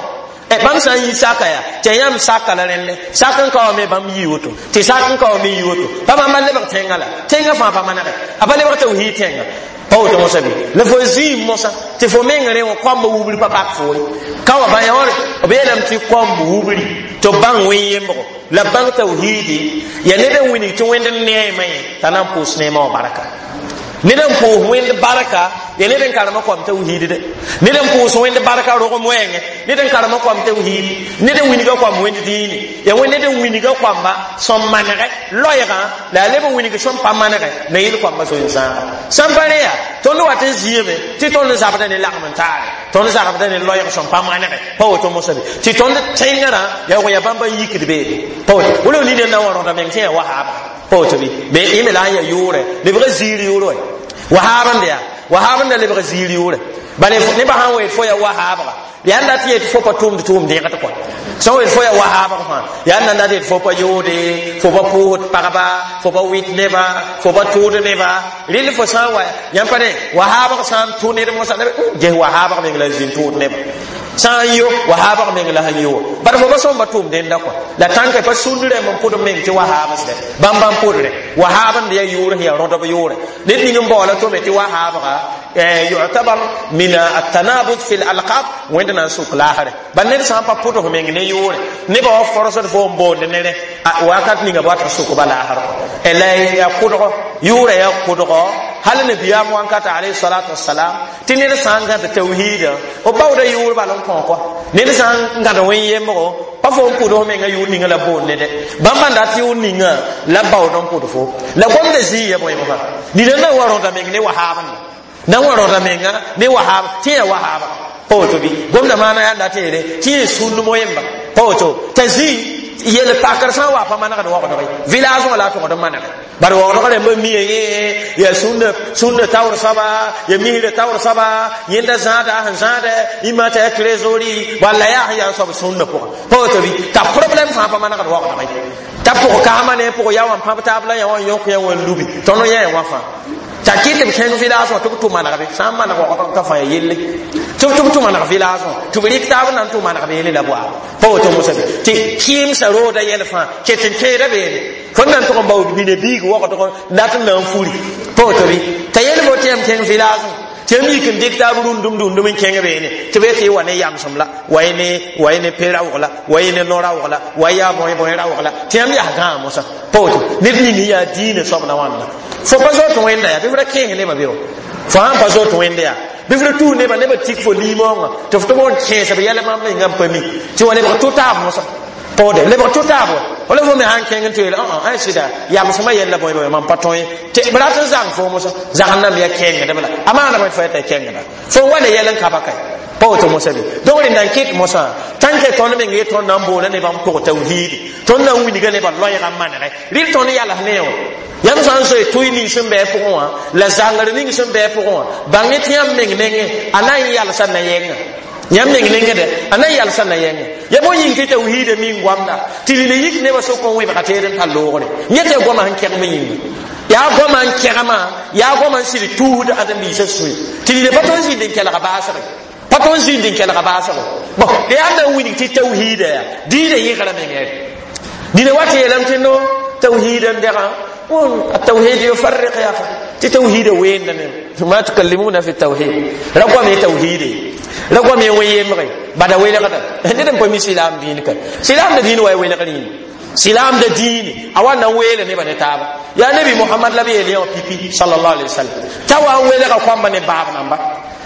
Bãmb sã n yi saka yaa tɩ yãmb saka la rẽnde sak n ka wa me bãmb yii woto tɩ sak n ka wa me yi woto pa bãmba lebg tẽngã la tẽngã fãa pa manege a pa lebg tawhiid tẽnga pa woto mosã bɩ la fo zĩig mosã tɩ fo meng rẽ wã koamba wubri pa pak foore ka wa bã yãor b yeelame tɩ koamb wubri tɩ b bãng wẽn-yembgo la b bãng tawhiidi ya ned n wilg tɩ wẽnd n neema yẽ t'a na n pʋʋs neemã wã barka ned n pʋʋs wẽnd barka ya ned n karema koam tawhiid de ned n pʋʋs wẽnd barka rogem wɛɛngẽ ned n karema koam tawhiid ned n wilga koam wẽnd dĩine ya wẽnd ned n wilga koamba sẽn manegɛ loɛɛgã la a leb n wilg sẽn pa manegɛ na yɩl koamba zoe n zãaga sãn pa rẽ yaa tõnd wat n zĩame tɩ tõnd zabda ne lagm n taare tõnd zabda ne loɛɛg sẽn pa manegɛ pa woto mosã be tɩ tõnd tẽngrã yaa wa yaa bãmba n yikd beene pa woto wala nina na wa rõda meng tɩ yaa wahaaba pa woto bɩ me yẽ me la n yaa yʋʋrɛ lebga ziir yʋʋr wɛ wahaab n yaa wahaab n da lebg ziir yʋʋrɛ bala nebã sãn wa yet fo yaa wahaabga yaa n dat yet fo pa tʋmd tʋʋm dẽgd kɔa sẽn wa yet fo yaa wahaabg fãa yaa n na dat yet fo pa yoode fo pa pʋʋsd pagba fo pa wɩt neba fo pa tʋʋd neba rɩl fo sã n wa yãmb pa ne wahaabg sã n tʋ ned mosã ges wahaabg meng la n zĩnd tʋʋd neba sã n yo wahaabg meng la sẽn yo bad fo pa sõmba tʋʋm dẽnda kɔa la tãnka pa sũnd rẽmb n pʋd meng tɩ wahaabsdɛ bãmb bãmb pʋdre wahaab n yaa yʋʋr sẽn yaa rõdb yʋʋrɛ ned ning n baoola tome tɩ wahaabga يعتبر من التنابذ في الألقاب وين na n sʋk laasrɛ bal ned sã n pa pʋd f meng ne yʋʋrɛ nebã wa forsd fo n boond nere wakat ninga b wat n sʋk ba laasr la yaa kʋdgɔ yʋʋrã yaa kʋdgɔ hal nabiyaam wankata alayhi salatu wasalam tɩ ned sã n gãd tawhiidã b baooda yʋʋr bal n kõ kɔa ned sã n gãd wẽn-yembgo pa fo n pʋd f menga yʋʋr ninga la boond ne dɛ bãmb n dat yʋʋr ninga la baood n pʋd fo la gomda zĩig ya bõe mosã nina na n wa rõda meng ne wahaab na n wa rõda menga ne wahaab tɩ yaa wahaaba pa woto bɩ gomda maana yaa n dat yeele tɩ yẽ sũnd moyemba pa woto t'a zĩ yel pakr sã n wa pa manegd waoogdg ye village wã la a togd n manege bad waoogdg rãmba mia yẽ yaa sũnda taoor soaba ya misra taoor soaba yẽnda zãada sẽn zãada yĩmã t'a yaa trésori walla yaa sẽn yaa soab sũnda pʋgã pa woto bɩ t'a problème fãa pa manegd waoogdg ye t'a pʋg kaama ne pʋg ya wã n pãb taab la yã wã n yõk yã wã n lubi tõnd yã wã fãa t'a kɩt b kẽng village wã tɩ b tʋ manegbe sã n maneg waoogdg ka fãa ya yelle tɩ b tʋ maneg village wã tɩ b rɩk taab n na n tʋ maneg beene la boa pa woto mosã be tɩ kɩɩmsa rooda yɛl fãa ket n keeda beene fõn na n tʋg n bao bine biig waoogdg dat n na n furi pa woto bɩ t'a yel fo tɩ yãmb kẽng village wã tɩ yãmb yik n dɩk taab rũndum rũndum n kẽng beene tɩ b yetɩ y wa ne yamsem la wa y ne pe-raoog la wa y ne no-raoog la wa y yaa bõe-bõe raoog la tɩ yãmb yaa gãag mosã pa woto ned ning yaa diinã soab na wãnda fo pa zoot wẽnda yaa bɩ f ra kẽes nebã be wa fo sãn pa zoot wẽnda yaa bɩ f ra tuus nebã nebã tik fo liimoongã tɩ f tɩ b n kẽes b yɛl bãmb mengã n pa mi tɩ wa lebg tʋ-taab mosã paoode lebg tʋ-taab wa wala fo me sãn kẽng n tɩ yeel ã sɩda yamsmã yɛlla bõe bõe mam pa tõe tɩ b rat n zang fo mosã zagn nam yaa kẽngdb la a maana bõe fo yeta kẽngda fo n wa ne yɛl n ka ba kae pa woto mosã be donc rẽnda n kɩt mosã tãnke tõnd meng ye tõnd na n boola nebã n pʋg tawhiidi tõnd na n wilga nebã loɛɛgã n manegɛ rɩl tõnd yals ne wã yãmb sã n zoe tʋɩ ning sẽn bɩ pʋgẽ wã la zãngr ning sẽn bɩ pʋgẽ wã bãng tɩ yãmb meng nengẽ a na n yalsa na yɛngã yãmb meng nengẽ a na n yalsa na yɛngã ya bõe yĩng tɩ tawhiida min goamda tɩ rɩla yik nebã sʋk n wẽbga teed n tar loogre yẽ tɩ goamã sẽn kɛgem yĩnga yaa goamã n kɛgmã yaa goamã n sɩd tuusd ãdem-biisã sũy tɩ rɩla pa tõnd zĩnd n kelga baasge pa tõnd zĩnd n kelga baasgo bon yaa na n wilg tɩ tawhiida yaa diinã yẽgra mengẽ nina wa tɩ yeelame tɩ no tawhiida n dɛgã التوحيد يفرق يا اخي تي توحيد وين ما تكلمون في التوحيد رقم توحيد رقم وين بدا وين غدا ندم بمي سلام دينك سلام دين وين وين غنين سلام دين اوانا وين ne bane taba ya nabi muhammad labi yeli pipi sallallahu alaihi wasallam tawa wele ka kwamba ne bab namba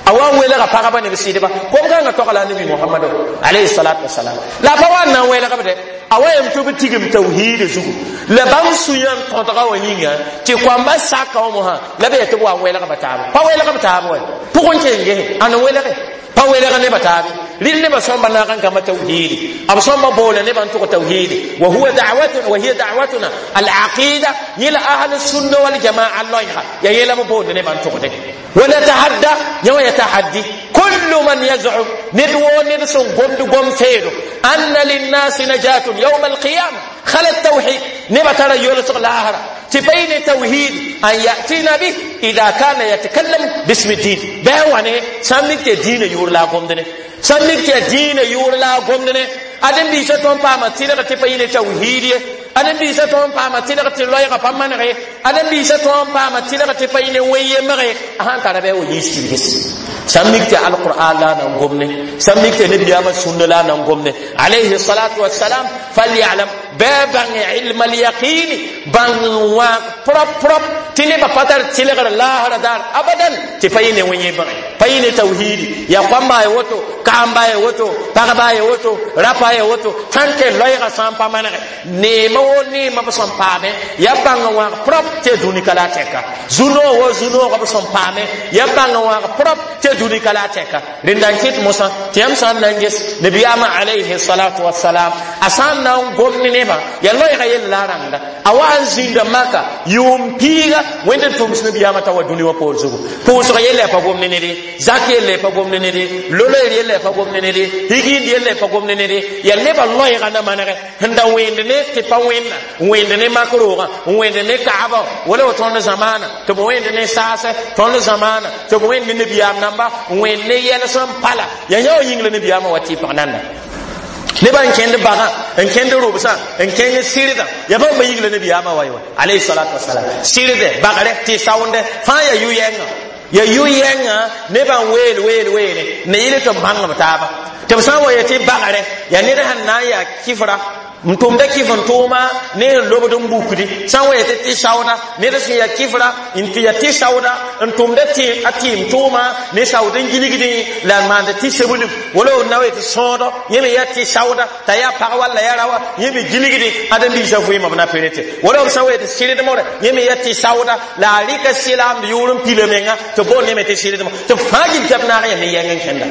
awa wele ka pagaba ne bisidba kom ka nga tokala nabi muhammad alayhi salatu wassalam la pa wa na wele ka bade awa yam to bitigim tauhid zugu la bam suyan tõdga wã yĩnga tɩ koamba saka wã mosã la b yaa tɩ b wa n welg ba taaba pa welg b taab wa pʋgẽ kenge ãn n welge pa welg nebã taabe rɩl nebã sõmba naag n gãmba tawhiidi b sõmba boola nebã n tʋg tawhiidi wa huwa da'watuna wa hiya da'watuna al-aqida yẽ la ahl sunna wal jamaa loɛɛga yaa yẽ la b boond nebã n tʋgde ونتحدى يوم يتحدي كل من يزعم ندو ندس قمد قم فيدو أن للناس نجاة يوم القيامة خل التوحيد نبا ترى يولس الآخرة Tɩ pa yɩ ne tawhid an yatina bih ida kana yatakallam bismi din. Bɩ wa ne sã n mik tɩ diinã yʋʋr la a gomd ne, sã n mik tɩ yaa diinã yʋʋr la a gomd ne. Adem biisã tõnd paama tɩlg tɩ pa yɩ ne tawhid ye. Adem biisã tõnd paama tɩlg tɩ loɛɛgã pa manege. Adem biisã tõnd paama tɩlg tɩ pa yɩ ne wẽn-yemge. A sãn tara bɩ a wa yiis kibges, sã n mik tɩ alqur'an la a nan gom ne, sã n mik tɩ nabiyaamã sũnna la a nan gom ne, alayhi salatu wassalam. Falyalam, bɩ bãng ilma alyaqini, bãng wã prop prop tɩ nebã pa tar tɩlgr laasra daar abadan tɩ pa yɩ ne wẽn-yembge, pa yɩ ne tawhidi. Yaa koamba ye woto, kamba ye woto, pagba ye woto, rapa ye woto, sãn tɩ loɛɛgã sã n pa manege neema wo neema b sẽn paame, ya bãng wãag prop tɩ dũni ka la a tɛka. Zu-noog wo zu-noogã b sẽn paame, ya bãng wãag prop tɩ dũni ka la a tɛka. Rẽnda n kɩt mosã tɩ yãmb sã n na n ges nabiyaamã alayhi salatu wasalam, a sã n na n gom ne nebã, ya loɛɛgã yell la a rãngda. A wa n zĩnda Maka yʋʋm piiga. Wẽnd n tʋms nabiyaamã t'a wa dũni wã poor zugu, pʋʋsg yella ya pa gom ne ned ye, zak yella ya pa gom ne ned ye, loloer yella ya pa gom ne ned ye, higind yella ya pa gom ne ned ye. Yaa nebã loɛɛgã na manegɛ sẽn da wẽnd ne tɩ pa wẽnna, wẽnd ne mak roogã, wẽnd ne kaaba, wala wa tõnd zamaana tɩ b wẽnd ne saasɛ, tõnd zamaana tɩ b wẽnd ne nabiyaam namba, wẽnd ne yɛl sẽn pa la yaa yã wa yĩng la nabiyaamã wa tɩ pag nanna. Nebã n kẽnd bagã, n kẽnd rʋbsã, n kẽng sɩrdã, yaa bãmba yĩng la nabiyaamã wa ye wa alayhi salatu wasalam. Sɩrdɛ, bagrɛ, tɩ saoondɛ fãa yaa yʋ-yɛngã, yaa yʋ-yɛngã nebã n weel weel weene ne yɩl tɩ b bãng b taaba. Tɩ b sã n wa yetɩ bagrɛ yaa ned sẽn na n yaa kɩfra n tʋmda kɩf n tʋʋma ne n lobd n bukdi. Sã n wa yetɩ tɩ saooda, ned sẽn yaa kɩfra n tɩ yaa tɩ saooda n tʋmda a tɩɩm tʋʋma ne saood n gilgdẽ la n maand tɩ seblem, wala d na wa yetɩ sõodo yẽ me yaa tɩ saooda t'a yaa pag walla yaa rawa, yẽ me gilgdẽ ãdem-biisã vɩɩmã b na perete. Wala b sã n wa yetɩ sɩrdmore, yẽ me yaa tɩ saooda la a rɩka sɩlaamd yʋʋr n pila menga tɩ boond yẽ me tɩ sɩrdmo. Tɩ b fãa gill tɩ b naag yã ne yɛng n kẽnda,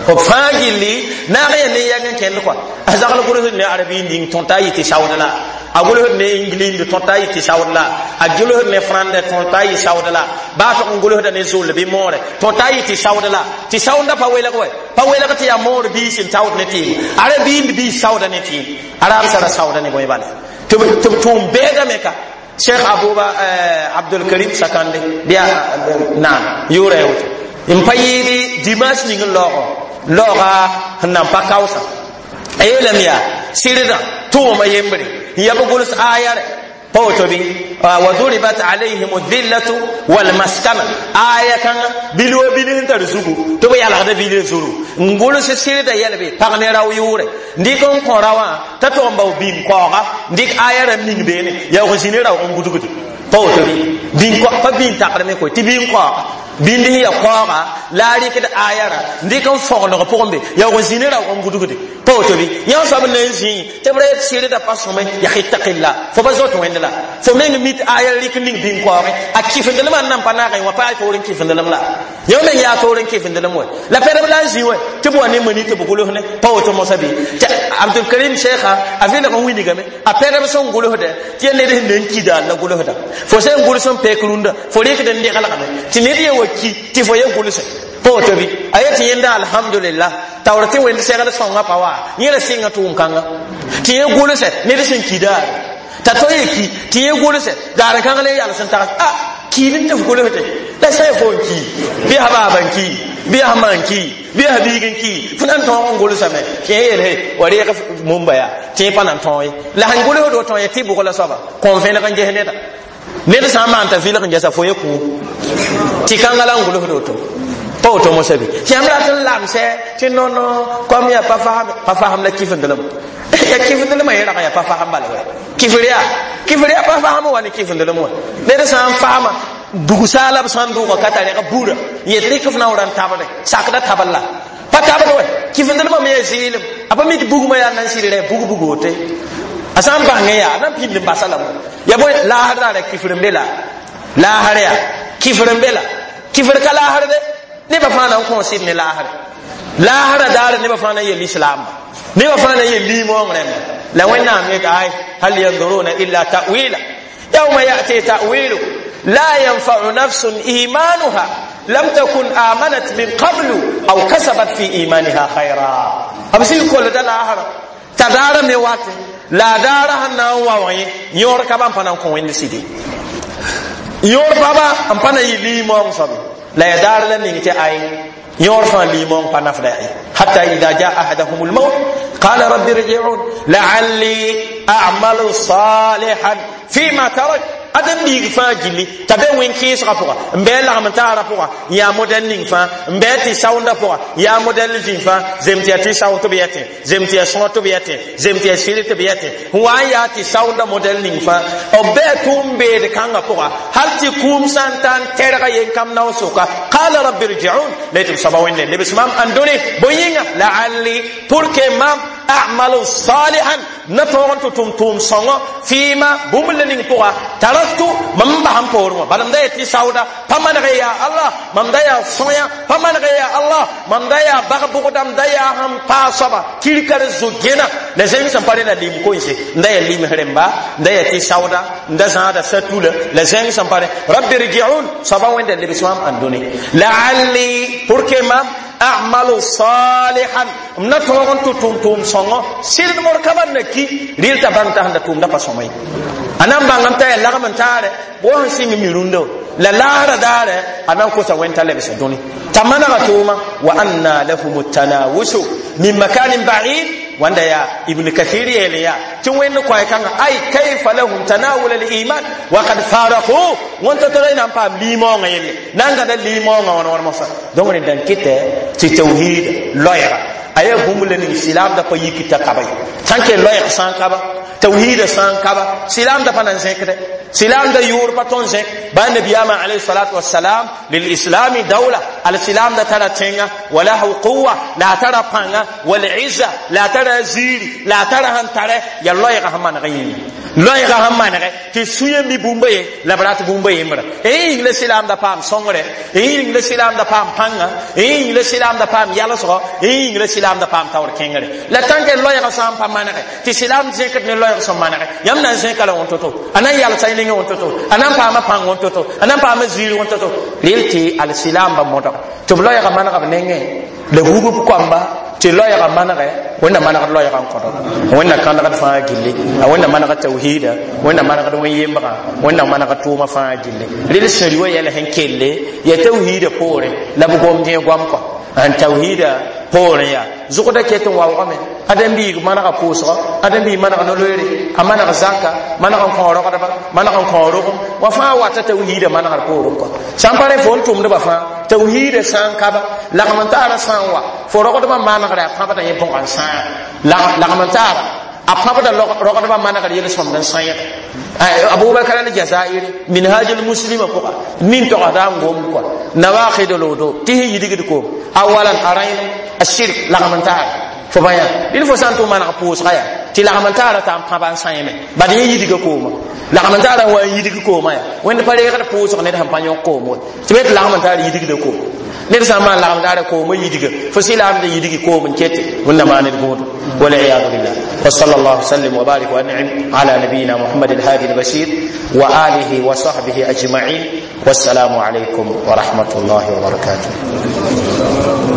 b fãa gilli naag yã ne yɛng n kẽnd kɔa. A zagl gʋlsd ne arabi ning tõta yɩ tɩ saood la, a gʋlsd ne ingilindi tõta yɩ tɩ saood la, a gʋlsd ne frãndɛ tõta yɩ saood la, baa tog n gʋlsda ne zʋll bɩ moore tõta yɩ tɩ saood la. Tɩ saoondã pa welg wɛ, pa welg tɩ yaa moor biis n taood ne tɩɩm, arabiind biis saooda ne tɩɩm, araab sara saooda ne bõe bala tɩ b tʋʋm bɛɛdame ka. Cheikh Abouba Abdulkarim Sakande bɩ naam yʋʋra ya woto n pa yɩɩd dimanche ning n laoogã laooga sẽn nan pa kaoosã. A yeelame yaa sɩrdã tʋʋma yembre n ya b gʋls aya rɛ pa woto bɩ wa duribat alayhim dhillatu walmaskana, aya kãngã bil wa bil sẽn tar zugu tɩ b yalgda bil zuru n gʋls sɩrda yɛlbe pag ne rao yʋʋrɛ n dɩk n kõ raowã t'a tog n bao bĩm kaooga n dɩk aya rãmb ning beene yaoog zĩ ne raoog n gudgde, pa woto bɩ pa bĩn takrame koe tɩ bĩn kaooga bĩnd sẽn yaa kaooga la a rɩkd aya rã n dɩk n fõgeneg pʋgẽ be yaoog n zĩ ne raoog n gudgde, pa woto bɩ. Yã soab n na n zĩi tɩ b ra yet sɩrda pa sõme yaa ittaqilla, fo pa zoet wẽnd la fo meng mit aya rɩk ning bĩn kaoogẽ a kɩfendelmã n nan pa naagẽ wã pa yaa toor n kɩfendelem la yã meng yaa toor n kɩfendelem wɛ la pɛdb la n zĩ wɛ tɩ b wa ne mani tɩ b gʋls ne, pa woto mosã bɩ. Tɩ Abdulkarim Sheekha a vɩlg n wilgame a pɛdb sẽn gʋlsdɛ tɩ yaa ned sẽn na n kida la gʋlsda fo sẽn gʋls n pek rũndã fo rɩkd n deglgame tɩ ned ye wa ki tɩ fo ye gʋlse, pa woto bɩ. A yetɩ yẽnda alhamdulillah taoor tɩ wẽnd segl sõngã pa wa yẽ la sɩnga tʋʋm-kãnga tɩ yẽ gʋlsɛ ned sẽn kidaare t'a to ye ki tɩ yẽ gʋlsɛ gaar kãng le yals n tags a kiid n tɩ f gʋlsde la sã ya fo n ki bɩ ya baaba n ki bɩ ya ma n ki bɩ ya biig n ki fo na n tõog n gʋlsame tɩ yẽ yeel he wa reeg mumba yaa tɩ yẽ pa na n tõog ye la sẽn gʋlsd woto ya tɩ bʋg la soaba kõn vẽneg n ges neda ned sã n maan t'a vɩlg n gesa fo ye kũu tɩ kãngã la n gʋlsd woto, pa woto mosã bɩ. Tɩ yãmb rat n lamsɛ tɩ non kom yaa pa fasam pa fasam la kɩfendelem ya kɩfendelmã yẽ rag yaa pa fasam bala wɛ kɩfr yaa kɩfr yaa pa fasam wa ne kɩfendelem wã ned sã n fasma dugsaala b sã n dʋʋga ka tar reg buurã yet rɩk f na n ra n tabrẽ sakda tabl la pa tabd wɛ kɩfendelmã me yaa zɩɩlem a pa mit bugmã yaa nan sɩd rɛ bug bug wote a sã n bãngẽ yaa a na n pĩnd n basa lame ya bõe laasr daara kɩfr n be la laasr yaa kɩfr n be la kɩfr ka laasr de nebã fãa na n kõ sɩd ne laasre laasrã daara nebã fãa na n yel islaamba nebã fãa na n yel liimoong rẽmba la Wẽnnaam yet ay hal yanduruna illa ta'wila yawma yati ta'wilu la yanfa'u nafsun imanuha lam takun amanat min qablu aw kasabat fi imaniha khayra. B sɩd kolda laasrã t'a daara me wate La a daara sẽn na n wa wã ye yõor ka ba n pa na n kõ Wẽnd sɩde yõor paba n pa na yɩ liimoong soabe la ya daar la ning tɩ ay yõor fãa liimoong pa nafda yaa hatta ida jaa ahadahum lmaut qala rabbi rjiun laalli amalu salihan fima tarak. Adem biig fãa gilli t'a be wẽn-kẽesgã pʋga n bɩ lagm taarã pʋga n yaa modɛl ning fãa n bɩ tɩ saoondã pʋga yaa modɛl zĩ fãa zem tɩ yaa tɩ saoond tɩ b yɛtẽ zem tɩ yaa sõor tɩ b yɛtẽ zem tɩ yaa sɩr tɩ b yɛtẽ n wa n yaa tɩ saoondã modɛl ning fãa b bɩ tʋʋm-beed kãngã pʋga hal tɩ kũum sã n ta n tɛrga yen-kam nao sʋka qala rabbi rjiun la tɩ b soaba Wẽnde lebs mam n dõne bõe yĩnga laalli pour que mam a'malu salihan na tõog n tɩ tʋm tʋʋm sõngɔ fɩɩma bũmb la ning pʋga taraktu mam n bas n poorẽ wã bala m da yaa tɩ saooda pa maneg yaa Allah mam da yaa sõya pa maneg yaa Allah mam da yaa bag bʋgda m da yaa sẽn paa soaba kirka d zo-gẽna la zẽng sẽn pa rẽna lim koense n da yaa lims rẽmba n da yaa tɩ saooda n da zãada satula la zẽng sẽn pa rẽ rabbi rjiun soaba Wẽnda lebs mam n dõne laalli pour que mam a'malu salihan m na tõog n tɩ tʋm tʋʋm sõngɔ sɩd mor ka ban na ki rɩl t'a bãng t'a sẽn da tʋʋmda pa sõma ye a na n bãngame t'a yaa lagm n taare bo sẽn sɩng mi rũndã la laara daare a na n kosa Wẽnd t'a lebsa dũni t'a manega tʋʋma wa anna lahum tanawusu min makanin ba'id wanda ya Ibn Kathir yele ya tɩ Wẽnd koɛ kãnga ay kayfa lahum tanawul al iman wa qad faraqu wõnta tɩ na n paam liimoongã yelle na n gãda liimoongã wãn wãn mosã donc rẽ dãn kɩtɛ tɩ tawhid loɛɛga a yaa bũmb la ning silaamda pa yik t'a kaba ye sã n kell loɛɛg sã n kaba tawhiida sã n kaba silaamda pa na n zẽkdɛ silaamda yʋʋr pa tõn zẽk ba nabiyaamã alayhi salatu wasalam lilislami dawla al silaamda tara tẽnga walahu quwa la a tara pãnga walizza la a tara ziiri la a tara sẽn tare yaa loɛɛga sẽn maneg yĩnga loɛɛga sẽn manege tɩ sũyã mi bũmba ye la b rat bũmba yembra yĩng la silaamda paam sõngre yĩng la silaamda paam pãnga yĩng la silaamda paam yalsgɔ yĩng la silaamda paam taoor kẽngre la tãnke loɛɛga sã n pa manege tɩ silaam zẽkd ne loɛɛg sẽn manege yãmb na n zẽka la wõn-to-to a na n yalsa y nengẽ wõn-to-to a na n paama pãng wõn-to-to a na n paama ziir wõn-to-to rel tɩ al-silaamba modg tɩ b loɛɛga manega b nengẽ la bub b koamba tɩ loɛɛga manegɛ Wẽnna manegd loɛɛga n kõdg Wẽnna kãndgd fãa gilli a Wẽnna manegd tawhiida Wẽnna manegd wẽn-yembgã Wẽnna manegd tʋʋma fãa gilli rel sẽri wa yɛl sẽn kelle yaa tawhiida poorẽ la b gomd yẽ goam kɔ n tawhiida poorẽ yaa zʋgda ket n waoogame ãdem-biig manega pʋʋsgɔ ãdem-biig maneg no-loeere a maneg zaka maneg n kõ rogdba maneg n kõ rogem wa fãa wata tawhiida manegd poorẽ kɔ sã n pa rẽ fo n tʋmdba fãa tawhiida sã n kaba lagm n taara sã n wa fo rogdbã manegre a pãbda yẽ bõg n sãa lagm n taara a pãbda rogdbã manegr yel-sõmd n sã-yẽ Abubakar al Jazairi Minhaj al Muslima pʋga nin togsda n gomd kɔa nawaqid al wudu tɩ sẽn yidgd koom awalan a rãen ashirk lagm n taara fo bã yaa dɩl fo sã n tʋ maneg pʋʋsga yaa tɩ lagm n taara t'a n pãba n sãyẽme bad yẽ yidga kooma lagm n taara n wa n yidg kooma yaa Wẽnd pa reegd pʋʋsg ned sẽn pa yõk koom we tɩ be tɩ lagm n taar yidgda koom ned sã n maan lagm taara kooma yidga fo silaamda yidgi koom n kete Wẽnna maan ned võodo والعياذ بالله. وصلى الله وسلم وبارك وانعم على نبينا محمد الهادي البشير وآله وصحبه أجمعين، والسلام عليكم ورحمة الله وبركاته.